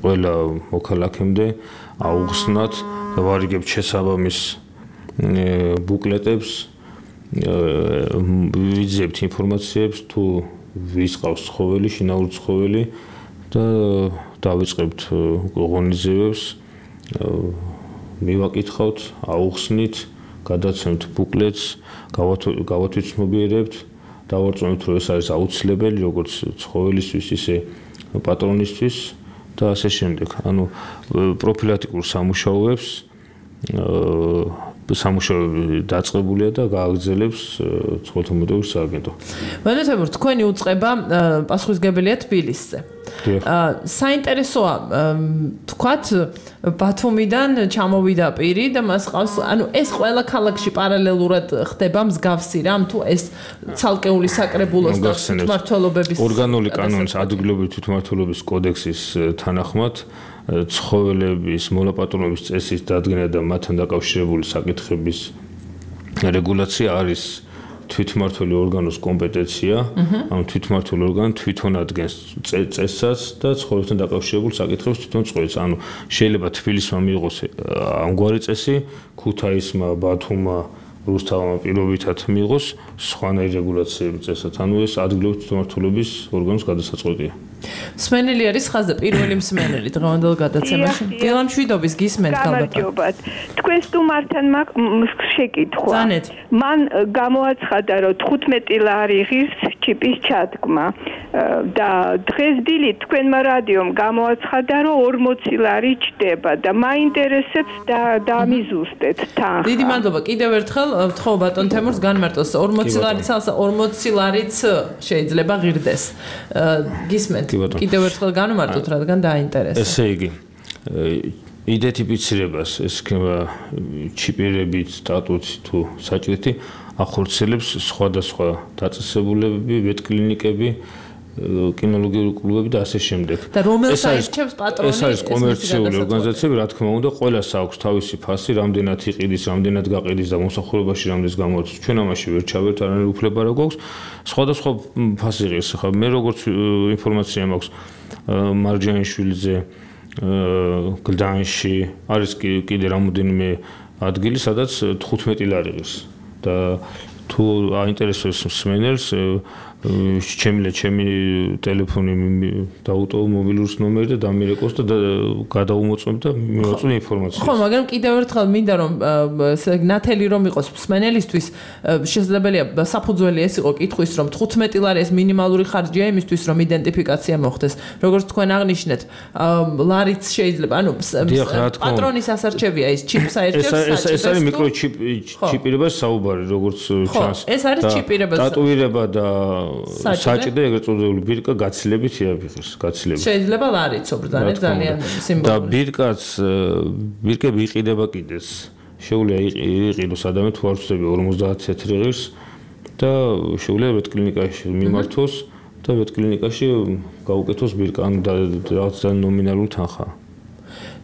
ყველა მოქალაქემდე აუხსნათ და ვარიგებთ შესაბამის ბუკლეტებს ვიძებთ ინფორმაციებს თუ ვის ყავს ცხოველი შინაური ცხოველი და დავიწყებთ ღონისძიებებს მივაკითხავთ აუხსნით გადაცემთ ბუკლეტს გავათვითცნობიერებთ დავარწმუნებთ რომ ეს არის აუცილებელი როგორც ცხოველისთვის ისე პატრონისთვის და ასე შემდეგ ანუ პროფილაქტიკურ სამუშაოებს სამუშაოები დაწყებულია და გააგრძელებს ცხოველთა მონიტორინგის სააგენტო. მანეთებურ თქვენი უწყება პასუხისმგებელია თბილისზე. საინტერესოა თქვათ ბათუმიდან ჩამოვიდა პირი და მას ყავს ანუ ეს ყველა ქალაქში პარალელურად ხდება მსგავსი რამ თუ ეს ცალკეული საკრებულოს და თვითმმართველობების ორგანული კანონის ადგილობრივი თვითმმართველობის კოდექსის თანახმად ცხოველების მოლაპატრონების წესის დადგენა და მათთან დაკავშირებული საკითხების რეგულაცია არის თვითმმართველი ორგანოს კომპეტენცია, ანუ თვითმმართველი ორგანო თვითონ ადგენს წესსაც და ცხოველებთან დაკავშირებულ საკითხებს თვითონ წყვეტს. ანუ შეიძლება თბილისმა მიიღოს ამგვარი წესი, ქუთაისმა, ბათუმმა, რუსთავმა პირობითად მიიღოს სხვანაირი რეგულაციების წესად. ანუ ეს ადგილობრივი თვითმმართველობის ორგანოს გადასაწყვეტია. მსმენელი არის ხაზზე პირველი მსმენელი დღევანდელ გადაცემაში. დილამშვიდობის გისმენთ გამარჯობათ. თქვენ სტუმართან შეკითხვა. მან გამოაცხადა რომ 15 ლარი ღირს ჩიპის ჩადგმა და დღეს დილით თქვენმა რადიომ გამოაცხადა რომ 40 ლარი ჩდება და მაინტერესებს დამიზუსტეთ თან. დიდი მადლობა. კიდევ ერთხელ ვთხოვ ბატონ თემურს განმარტოს 40 ლარიც 40 ლარიც შეიძლება ღირდეს. გისმენთ კიდევ ერთხელ განმარტოთ რადგან დაინტერესებს. ესე იგი იდენტიფიცირებას ეს ჩიპირებით სტატუსი თუ საჭირეთი ახორციელებს სხვადასხვა დაწესებულებები, ვეტკლინიკები კინოლოგიური კლუბები და ასე შემდეგ. და რომელს აირჩევს პატრონი? ეს არის კომერციული ორგანიზაციები, რა თქმა უნდა, ყველას აქვს თავისი ფასი, რამდენად იყიდის, რამდენად გაყიდის და მომსახურებაში რამდენს გამოდის. ჩვენ ამაში ვერ ჩავერთ, არანაირი უფლება რა გვაქვს. სხვადასხვა ფასი ღირს. ხა მე როგორც ინფორმაცია მაქვს მარჯანიშვილიძე გლდანში არის კიდე რამოდენიმე ადგილი, სადაც 15 ლარი ღირს და თუ აინტერესებს მსმენელს ჩემი ტელეფონი დაუტოვო მობილურის ნომერი და დამირეკოს და გადაუმოწმებ და მივაწვი ინფორმაცია. ხო, მაგრამ კიდევ ერთხელ მინდა რომ ნათელი რომ იყოს მსმენელისთვის შესაძლებელია საფუძველი ეს იყო კითხვის რომ 15 ლარი ეს მინიმალური ხარჯია იმისთვის რომ იდენტიფიკაცია მოხდეს. როგორც თქვენ აღნიშნეთ, ლარიც შეიძლება, ანუ პატრონის ასარჩევია ის ჩიპს აერჩევს. ეს არის მიკროჩიპირებას საუბარი, როგორც ჩანს. ეს არის ჩიპირება. ტატუირება და საჭი და ეგრეთ წოდებული ბირკა გაცილებით იაფიხეს, გაცილებით. შეიძლება ლარიც obრძანეთ ძალიან სიმბოლური. და ბირკები იყიდება კიდეც. შეუძლია იყიდოს ადამიანი თუ არ ვწდები 50 თეთრი ღირს და შეუძლია ვეტკლინიკაში მიმართოს და ვეტკლინიკაში გაუკეთოს ბირკა ან რაღაც ნომინალური თანხა.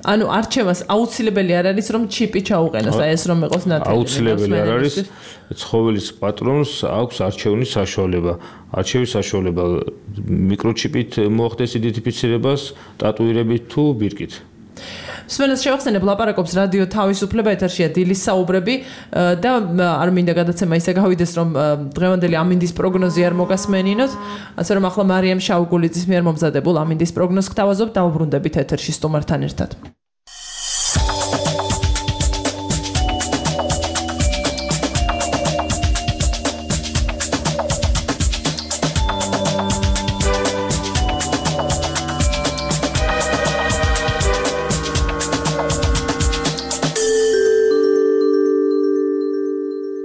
ანუ არჩევას აუცილებელი არ არის რომ ჩიპი ჩაუყენოს, აი ეს რომ იყოს ნათელი. აუცილებელი არ არის. ცხოველის პატრონს აქვს არჩევნის საშუალება. არჩევის საშუალება მიკროჩიპით მოახდეს იდენტიფიცირებას, ტატუირებით თუ ბირკით. მსმენელს შევახსენებ ლაპარაკობს რადიო თავისუფლება ეთერშია დილის საუბრები და არ მინდა გადაცემა ისე გავიდეს რომ დღევანდელი ამინდის პროგნოზი არ მოგასმენინოთ, ასე რომ ახლა მარიამ შაუგულიძის მიერ მომზადებულ ამინდის პროგნოზს გთავაზობ და უბრუნდებით ეთერში სტუმართან ერთად.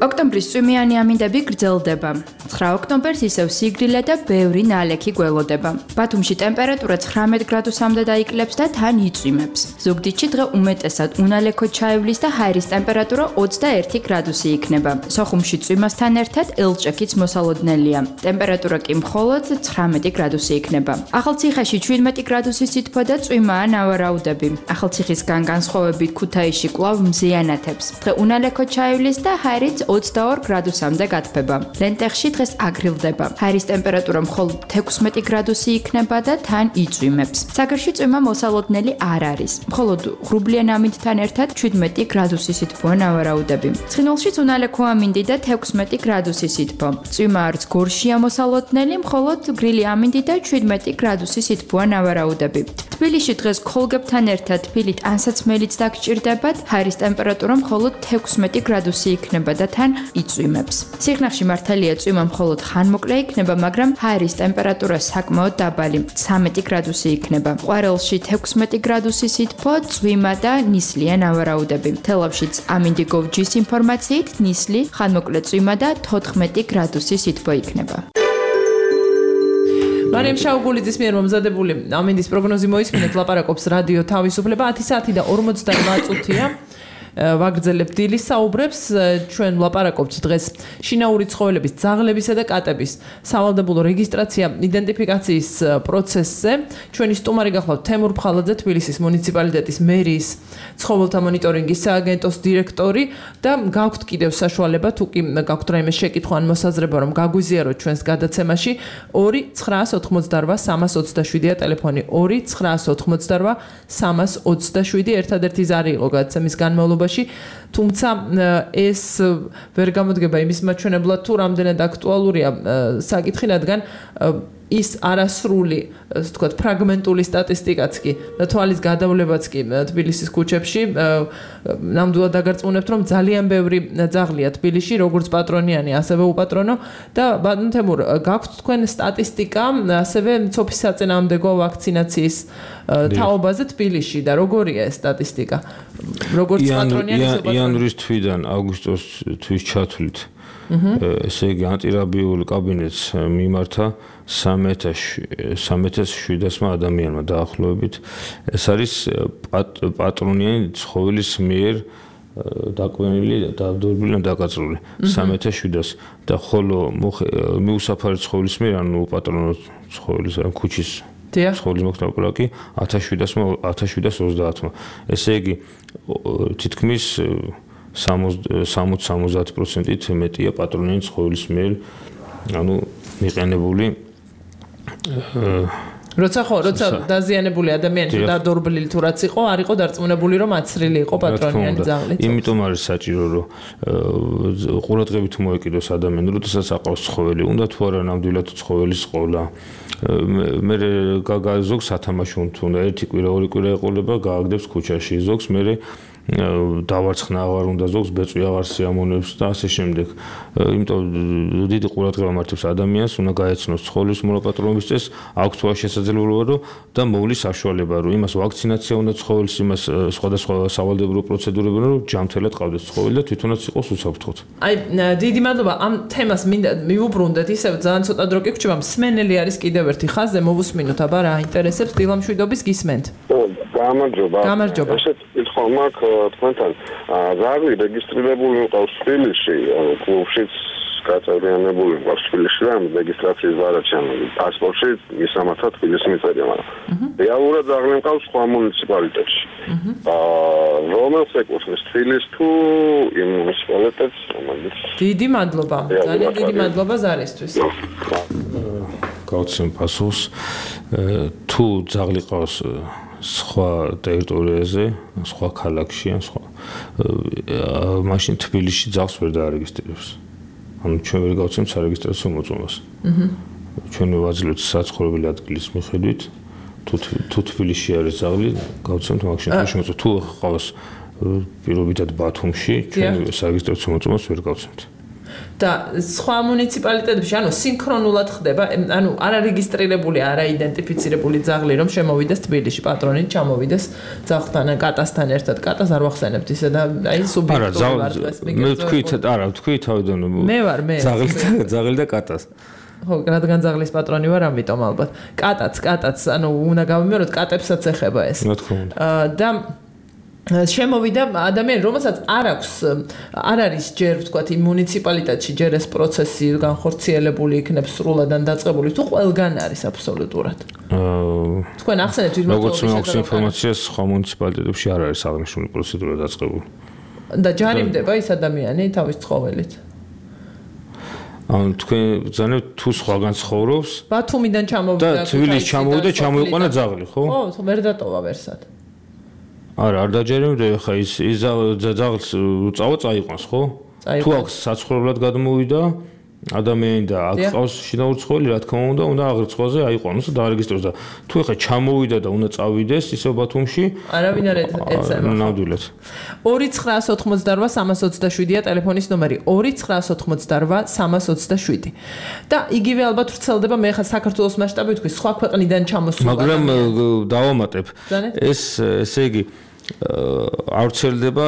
ოქტომბრის წვიმიანი ამინდები გრძელდება. 9 ოქტომბერს ისევ სიგრილე და ბევრი ნალექი გველოდება. ბათუმში ტემპერატურა 19 გრადუსამდე დაიკლებს და თან იწვიმებს. ზუგდიდში დღე უმეტესად უნალექო ჩაივლის და ჰაერის ტემპერატურა 21 გრადუსი იქნება. სოხუმში წვიმასთან ერთად ელჭექიც მოსალოდნელია. ტემპერატურა კი მხოლოდ 19 გრადუსი იქნება. ახალციხეში 17 გრადუსი სითბო და წვიმაა ნავარაუდები. ახალციხისგან განსხვავებით ქუთაისში კვლავ მზიანათებს. დღე უნალექო ჩაივლის და ჰაერიც 22 გრადუსამდე გათბება. ლენტეხში დღეს აგრილდება. ჰაერის ტემპერატურა მხოლოდ 16 გრადუსი იქნება და თან იწვიმებს. საგერში წვიმა მოსალოდნელი არ არის. მხოლოდ ღრუბლიან ამინდთან ერთად 17 გრადუსი სითბოა ნავარაუდები. ცხინვალშიც უნალექო ამინდი და 16 გრადუსი სითბო. წვიმა არც გორშია მოსალოდნელი, მხოლოდ გრილი ამინდი და 17 გრადუსი სითბოა ნავარაუდები. თბილისში დღეს ქოლგებთან ერთად თბილით ანსაცმელიც დაგჭირდებათ. ჰაერის ტემპერატურა მხოლოდ 16 გრადუსი იქნება და თან იწვიმებს. სიხნაღში მართალია წვიმა მხოლოდ ხანმოკლე იქნება, მაგრამ ჰაერის ტემპერატურა საკმაოდ დაბალი, 13 გრადუსი იქნება. ყვარელში 16 გრადუსი სითბო, წვიმა და ნისლია ნავარაუდები. თელავშიც ამინდი გოვჯის ინფორმაციით ნისლი, ხანმოკლე წვიმა და 14 გრადუსი სითბო იქნება. მარიამ შაუგულიძის მიერ მომზადებული ამინდის პროგნოზი მოისმინეთ, ლაპარაკობს რადიო თავისუფლება 10 საათი და 48 წუთია. ვაგრძელებ დილის საუბრებს, ჩვენ ვლაპარაკობთ დღეს შინაური ცხოველების ძაღლებისა და კატების სავალდებულო რეგისტრაცია იდენტიფიკაციის პროცესზე. ჩვენი სტუმარი გახლავთ თემურ ფხალაძე, თბილისის მუნიციპალიტეტის მერიის ცხოველთა მონიტორინგის სააგენტოს დირექტორი და გაქვთ კიდევ საშუალება, თუ კი გაქვთ რაიმე შეკითხვა ან მოსაზრება, რომ გაგვიზიაროთ ჩვენს გადაცემაში 2-988-327-ია ტელეფონი 2-988-327 ერთადერთი ზარი იყო გადაცემის განმავლობაში. თუმცა ეს ვერ გამოდგება იმის მაჩვენებლად, თუ რამდენად აქტუალურია საკითხი, რადგან ის არასრული, ასე ვთქვათ, ფრაგმენტული სტატისტიკაც კი და თვალის გადავლებაც კი თბილისის ქუჩებში ნამდვილად დაგარწმუნებთ, რომ ძალიან ბევრი ძაღლია თბილისში, როგორც პატრონიანი, ასევე უპატრონო და ბატონ თემურ, გაქვთ თქვენ სტატისტიკა, ასევე მცოფის საწინააღმდეგო ვაქცინაციის თაობაზე თბილისში და როგორია ეს სტატისტიკა? როგორც პატრონიანი, იანვრის თვიდან აგვისტოს ჩათვლით. ესე იგი ანტირაბიულ კაბინეტს მიმართა 3700 ადამიანმა დაახლოებით. ეს არის პატრონიანი ცხოველის მიერ დაკვენილი და დავდობილი და დაკაწრული 3700 და ხოლო მიუსაფარი ცხოველის მიერ ანუ პატრონო ცხოველის ქუჩის ცხოველის მოხდაპლაკი 1730-მა ესე იგი თითქმის 60-70%-ით მეტია პატრონიანი ცხოველის მიერ ანუ მიყენებული როცა დაზიანებული ადამიანი დადორბლილი თუ რაც იყო, არ იყო დარწმუნებული რომ აცრილი იყო პატრონიანი ძაღლით. იმიტომ არის საჭირო რომ ყურადღებით მოეკიდოს ადამიანი, როდესაც აყავს ცხოველი, უნდა თუ არა ნამდვილად ცხოველის ყოლა. მე ზოგს სათამაშო უნდა ერთი კვირა, ორი კვირა ეყოლება, გააგდებს ქუჩაში, ზოგს მე დავარცხნა აღარ უნდა ზოგს ბეწვი აღარ სიამონებს და ასე შემდეგ. იმიტომ დიდი ყურადღება მართებს ადამიანს, უნდა გაეცნოს ცხოველის მოლაპატრონობის წესს, აქვს თუ შესაძლებლობა და მოვლის საშუალება, რომ იმას ვაქცინაცია უნდა ცხოველის, იმას სხვადასხვა სავალდებულო პროცედურები უნდა რომ ჯანმრთელად ყავდეს ცხოველი და თვითონაც იყოს უსაფრთხოდ. აი, დიდი მადლობა ამ თემას მინდა მივუბრუნდეთ, ისევ ძალიან ცოტა დრო კი გრჩება, მსმენელი არის კიდევ ერთი ხაზზე, მოვუსმინოთ, აბა რა აინტერესებს დილამშვიდობის გისმენთ. გამარჯობა. ესეთ კითხვა მაქვს თქვენთან. ზაღლი რეგისტრირებული მყავს თბილისში, კლუბშიც გაწევრიანებული მყავს თბილისში და რეგისტრაციის ბარათში, პასპორტში მისამართად თბილისში მიწერია, მაგრამ რეალურად ზაღლი მყავს სხვა მუნიციპალიტეტში. რომელს ეკუთვნის თბილისს თუ იმ მუნიციპალიტეტს, რომელიც დიდი მადლობა. ძალიან დიდი მადლობა ზარისთვის. გავცემ პასუხს. თუ ზაღლი ყავს სხვა ტერიტორიაზე, სხვა ქალაქში ან სხვა მაშინ თბილისში ძაღლს ვერ დაარეგისტრირებს. ანუ ჩვენ ვერ გავცემთ სარეგისტრაციო მოწმობას. ჩვენ ვაძლევთ საცხოვრებელი ადგილის მიხედვით, თუ თბილისში არის ზაღლი, გავცემთ მაგ შემთხვევაში მოწმობა. თუ ყავს პირობითად ბათუმში, ჩვენ სარეგისტრაციო მოწმობას ვერ გავცემთ. და სხვა მუნიციპალიტეტებში, ანუ სინქრონულად ხდება, ანუ არარეგისტრირებული, არაიდენტიფიცირებული ძაღლი რომ შემოვიდეს თბილისში, პატრონით ჩამოვიდეს ძაღლთან, კატასთან ერთად, კატას არ ვახსენებთ ისე და აი სუბიექტური ვარ დღეს თქვი თავიდან ძაღლი და კატას. ხო, რადგან ძაღლის პატრონი ვარ, ამიტომ ალბათ. კატაც, ანუ უნდა გავიმეოროთ, კატებსაც ეხება ეს. რა თქმა უნდა. და შემოვიდა ადამიანი, რომელსაც არ არის ჯერ ვთქვათ იმ მუნიციპალიტეტში ჯერ ეს პროცესი განხორციელებული იქნებს სრულად ან დაწყებული, თუ ყველგან არის აბსოლუტურად. თქვენ ახსენეთ ვიდრე როგორც მაქვს ინფორმაციას, სხვა მუნიციპალიტეტებში არ არის აღნიშნული პროცედურა დაწყებული. და ჯარიმდება ის ადამიანი თავის ცხოველით. ანუ თქვენ ბრძანებთ თუ სხვაგან ცხოვრობს ბათუმიდან ჩამოვიდა და თბილისში ჩამოვიდა, ჩამოიყვანა ძაღლი, ხო? ხო, ვერ დატოვა ვერსად. არ დაჯერებდა ხა ის ძაღლს წავა წაიყვანს, ხო? თუ აქ საცხოვრებლად გადმოვიდა ადამიანი და აქ ყავს შინაური ცხოველი, რა თქმა უნდა აღრიცხვაზე აიყვანოს და დაარეგისტროს და თუ ხა ჩამოვიდა და უნდა წავიდეს ისევ ბათუმში, არავინ არ ეცემა. ნამდვილად. 2988327-ია ტელეფონის ნომერი 2988327 და იგივე ალბათ ვრცელდება მე ხა საქართველოს მასშტაბით თქვი სხვა ქვეყნიდან ჩამოსულა. მაგრამ დავამატებ ესე იგი არ ვრცელდება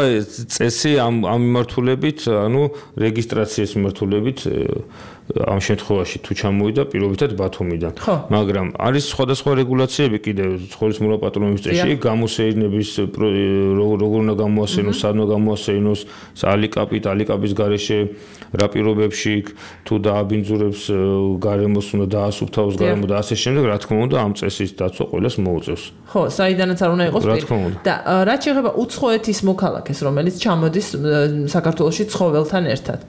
წესი ამ მიმართულებით, ანუ რეგისტრაციის მიმართულებით ამ შემთხვევაში თუ ჩამოვიდა პირობითად ბათუმიდან. მაგრამ არის სხვადასხვა რეგულაციები კიდევ ცხოველის მოლაპატრონობის წესში, გამოსეირნების როგორ უნდა გამოასეინოს, სად უნდა გამოასეინოს, ალიკაპის გარეშე რა პირობებში თუ დააბინძურებს გარემოს უნდა დაასუფთავოს გარემო და ასე შემდეგ, რა თქმა უნდა ამ წესის დაცვა ყველას მოუწევს. ხო, საიდანაც არ უნდა იყოს პირი. და რაც შეეხება უცხოეთის მოქალაქეს, რომელიც ჩამოდის საქართველოში ცხოველთან ერთად.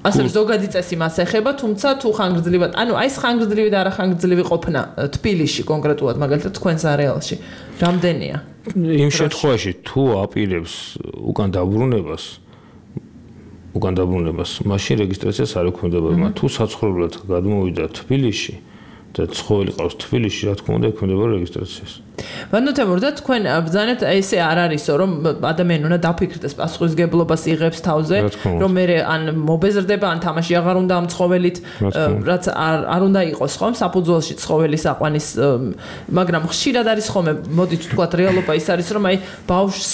ასე ზოგადი წესი მას ეხება, თუმცა თუ ხანგრძლივად, ანუ აი ეს ხანგრძლივი და არახანგრძლივი ყოფნა თბილისში კონკრეტულად, მაგალითად თქვენს არეალში, რამდენია? იმ შემთხვევაში თუ აპირებს უკან დაბრუნებას, მაშინ რეგისტრაციას არ ექვემდებარება. თუ საცხოვრებლად გადმოვიდა თბილისში და ცხოველი ყავს თბილისში, რა თქმა უნდა, ექვემდებარა რეგისტრაციას. ვანოთემურ და თქვენ ბრძანებთ ესე არ არისო, რომ ადამიანი უნდა დაფიქრდეს პასუხისგებლობას იღებს თავზე, რომ მე ან მობეზრდება, ან თამაში აღარ უნდა ამ ცხოველით, რაც არ უნდა იყოს ხომ საფუძველში ცხოველის აყვანის, მაგრამ ხშირად არის ხოლმე, მოდით ვთქვათ, რეალობა ის არის, რომ აი ბავშვს,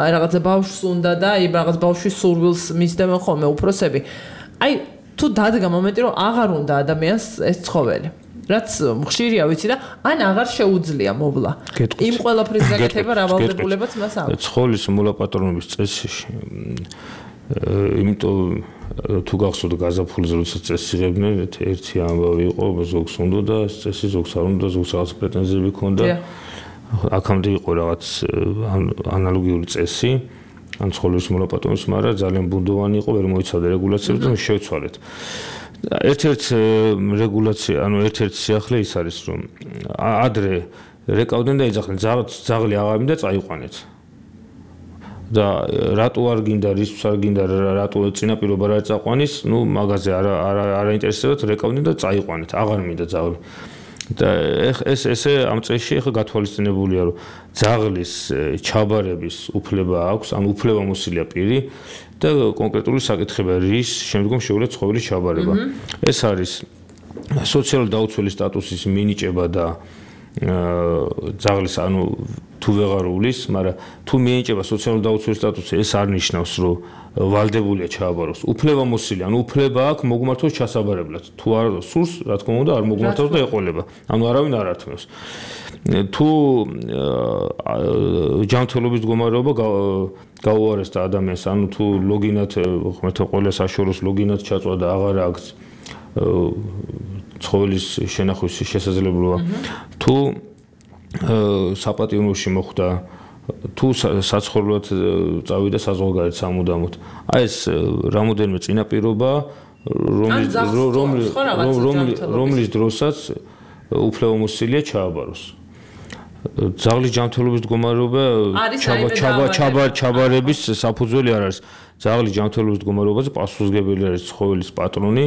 აი რაღაცა ბავშვს უნდა და აი რაღაც ბავშვის სურვილს მისდევენ ხოლმე უფროსები. აი თუ დადგა მომენტი, რომ აღარ უნდა ადამიანს ეს ცხოველი. რაც ხშირია ვიცი და ან აღარ შეუძლია მოვლა. იმ ყველაფრის გაკეთება რა ვალდებულებაც მას აქვს. ცხოველის მოლაპატრონების წესში იმიტომ თუ გახსოვთ გაზაფხულზე როცა წესს იღებდნენ ერთი ამბავი იყო ზოგს უნდა და წესი ზოგს არ უნდა ზოგს რაღაც პრეტენზიები ჰქონდა აქამდე იყო რაღაც ანალოგიური წესი ან ცხოველის მოლაპატრონის მაგრამ ძალიან ბუნდოვანი იყო ვერ მოიცავდა რეგულაციებს და შევცვალეთ ერთ-ერთი რეგულაცია ანუ ერთ-ერთი სიახლე ის არის რომ ადრე რეკავდნენ და ეძახდნენ ძაღლი აღარ მინდა წაიყვანეთ და რატო არ გინდა რისთვის არ გინდა რატო წინაპირობა რა წაყვანის ნუ მაგაზე არ აინტერესებათ რეკავდნენ და წაიყვანეთ აღარ მინდა ძაღლი და ესე ამ წესში ახლა გათვალისწინებულია რომ ძაღლის ჩაბარების უფლება აქვს ან უფლებამოსილია პირი და კონკრეტული საკითხია რის შემდგომ შეუძლია ცხოველის ჩაბარება ეს არის სოციალური დაუცველი სტატუსის მინიჭება და ძაღლის ანუ თუ ვეღარულის, მაგრამ თუ მიენიჭება სოციალური დაუცველი სტატუსი, ეს არ ნიშნავს, რომ ვალდებულია ჩააბაროს. უფლებამოსილი, ანუ უფლება აქვს მოგმართოს ჩასაბარებლად. თუ არ სურს, რა თქმა უნდა, არ მოგმართავს და ეყოლება. ანუ არავინ არ ართმევს. თუ ჯანმრთელობის მდგომარეობა გაუარეს და ადამიანს, ანუ თუ ლოგინად ხმეთა ყველა საშუალოს ლოგინად ჩაწვა და აღარ აქვს ცხოველის შენახვის შესაძლებლობა თუ საპატიმროში მოხვდა თუ საცხოვრებლად წავიდა საზღვარგარეთ სამუდამოდ აი ეს რამოდენიმე წინაპირობა რომლის დროსაც უფლებამოსილია ჩააბაროს ძაღლის ჯანმრთელობის მდგომარეობა ჩაბარების საფუძველი არ არის ძაღლის ჯანმრთელობის მდგომარეობაზე პასუხისმგებელი არის ცხოველის პატრონი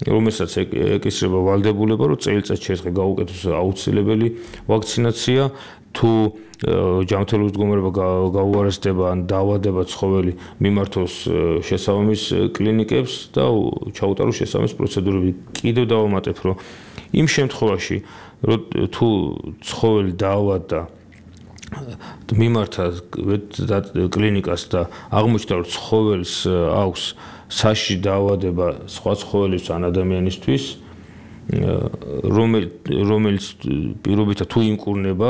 რომელსაც ეკისრება ვალდებულება, რომ წელიწადში ერთხელ გაუკეთოს აუცილებელი ვაქცინაცია, თუ ჯანმრთელობის მდგომარეობა გაუარესდება ან დაავადება ცხოველი, მიმართოს შესაბამის კლინიკებს და ჩაუტაროს შესაბამის პროცედურები. კიდევ დავამატებ, რომ იმ შემთხვევაში, რომ თუ ცხოველი დაავადდა მიმართა კლინიკას და აღმოჩნდა, რომ ცხოველს აქვს საშიში დაავადება სხვა ცხოველის ან ადამიანისთვის რომელიც პირობითად თუ იმკურნება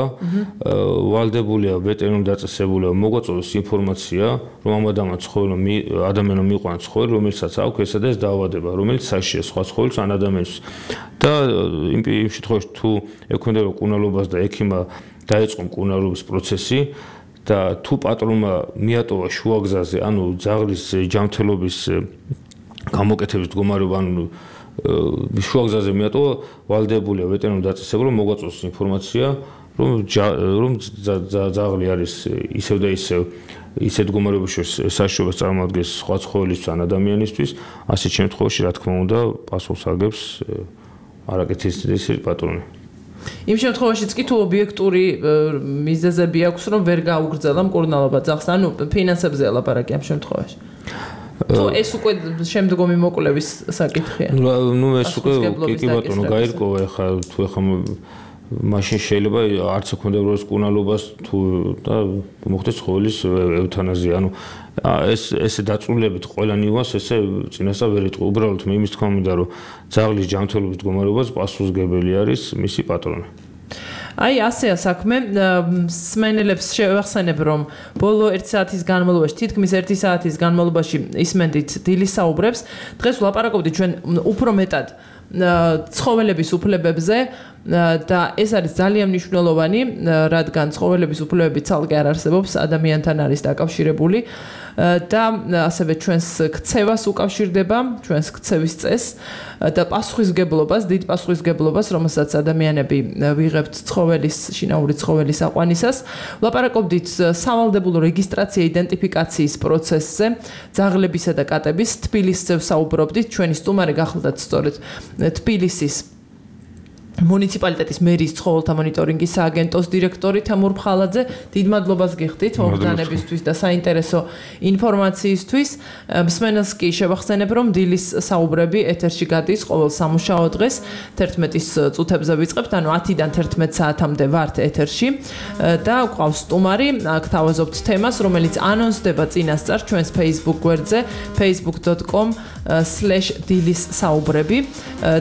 ვალდებულია ვეტერინარული დაწესებულება მოგვაწოდოს ინფორმაცია რომ ამ ადამიანმა მიიყვანა ცხოველი რომელსაც აქვს ესა და ეს დაავადება რომელიც საშიშია სხვა ცხოველის ან ადამიანისთვის და იმ შემთხვევაში თუ ექვემდებარა მკურნალობას და ექიმმა დაეწყო მკურნალობის პროცესი და თუ პატრონმა მიატოვა შუაგზაზე, ანუ ძაღლის ჯანმრთელობის გამოკეთების მდგომარეობა, ანუ შუაგზაზე მიატოვა, ვალდებულია ვეტერინარული დაწესებულება მოგვაწოდოს ინფორმაცია, რომ ძაღლი არის ისევ და ისევ ისეთ მდგომარეობაში საშიშრობას წარმოადგენს სხვა ცხოველის ან ადამიანისთვის, ასეთ შემთხვევაში, რა თქმა უნდა, პასუხს აგებს არაკეთილსი პატრონი. იმ შემთხვევაშიც კი თუ ობიექტური მიზეზები აქვს რომ ვერ გაუგრძელა მკურნალობა ძაღლს ანუ ფინანსებზე ლაპარაკი ამ შემთხვევაში თუ ეს უკვე შემდგომი მოკვლევის საკითხია ნუ ეს უკვე კი ბატონო გაირკვევა ეხლა თუ ეხლა მაშინ შეიძლება არც ექვემდებარა მკურნალობას თუ და მოხდეს ცხოველის ევთანაზია ანუ ესე დაწვრილებით ყველა ნიუანს ესე წინასწარ ვერ იტყვი უბრალოდ მე იმის თქმა მინდა რომ ძაღლის ჯანმრთელობის მდგომარეობას პასუხისმგებელი არის მისი პატრონი აი ასეა საქმე სმენელებს შევახსენებ რომ ბოლო 1 საათის განმავლობაში თითქმის 1 საათის განმავლობაში ისმენდით დილის საუბრებს დღეს ვლაპარაკობდით ჩვენ უფრო მეტად ცხოველების უფლებებზე და ეს არის ძალიან მნიშვნელოვანი რადგან ცხოველების უფლებები ცალკე არ არსებობს ადამიანთან არის დაკავშირებული და ასევე ჩვენს ქცევას უკავშირდება ჩვენს ქცევის წესს და პასუხისმგებლობას დიდ პასუხისმგებლობას რომელსაც ადამიანები ვიღებთ ცხოველის შინაური ცხოველის აყვანისას ვლაპარაკობდით სავალდებულო რეგისტრაცია იდენტიფიკაციის პროცესზე ძაღლებისა და კატების თბილისზე ვსაუბრობდით ჩვენი სტუმარი გახლდათ სწორედ თბილისის მუნიციპალიტეტის მერის ცხოველთა მონიტორინგის სააგენტოს დირექტორი თემურ ფხალაძე დიდ მადლობას გიხდით მომხდანებისთვის და საინტერესო ინფორმაციისთვის მსმენელს კი შევახსენებ რომ დილის საუბრები ეთერში გადის ყოველ სამუშაო დღეს 11-ის წუთებზე ვიწყებთ ანუ 10-დან 11 საათამდე ვართ ეთერში და გვყავს სტუმარი გთავაზობთ თემას რომელიც ანონსდება წინასწარ ჩვენს Facebook გვერდზე facebook.com/dilis-saubrები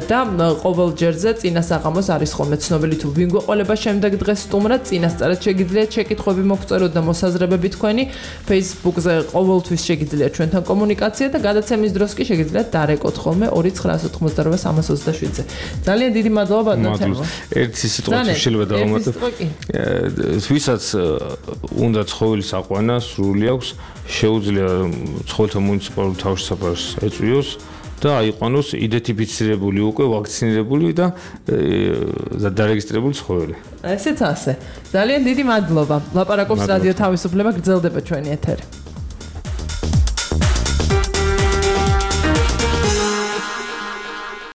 და ყოველ ჯერზე წინასწარ საღამოს არის ხოლმე ცნობილი თუ ვინ გვეყოლება შემდეგ დღეს სტუმრად წინასწარად შეგიძლიათ შეკითხვები მოგწეროთ და მოსაზრებები თქვენი Facebook-ზე ყოველთვის შეგიძლიათ ჩვენთან კომუნიკაცია და გადაცემის დროს კი შეგიძლიათ დარეკოთ ხოლმე 2988-327-ზე. ძალიან დიდი მადლობა ბატონო თემო. ერთი სიტყვა შეიძლება დავამატო. ვისაც უნდა ცხოველის აყვანა სრული აქვს, შეუძლია ცხოველთა მუნიციპალურ თავშესაფარს ეწვიოს და აიყვანოს იდენტიფიცირებული უკვე ვაქცინირებული და დარეგისტრირებული ცხოველი. ესეც ასე. ძალიან დიდი მადლობა. ლაპარაკობს რადიო თავისუფლება, გრძელდება ჩვენი ეთერი.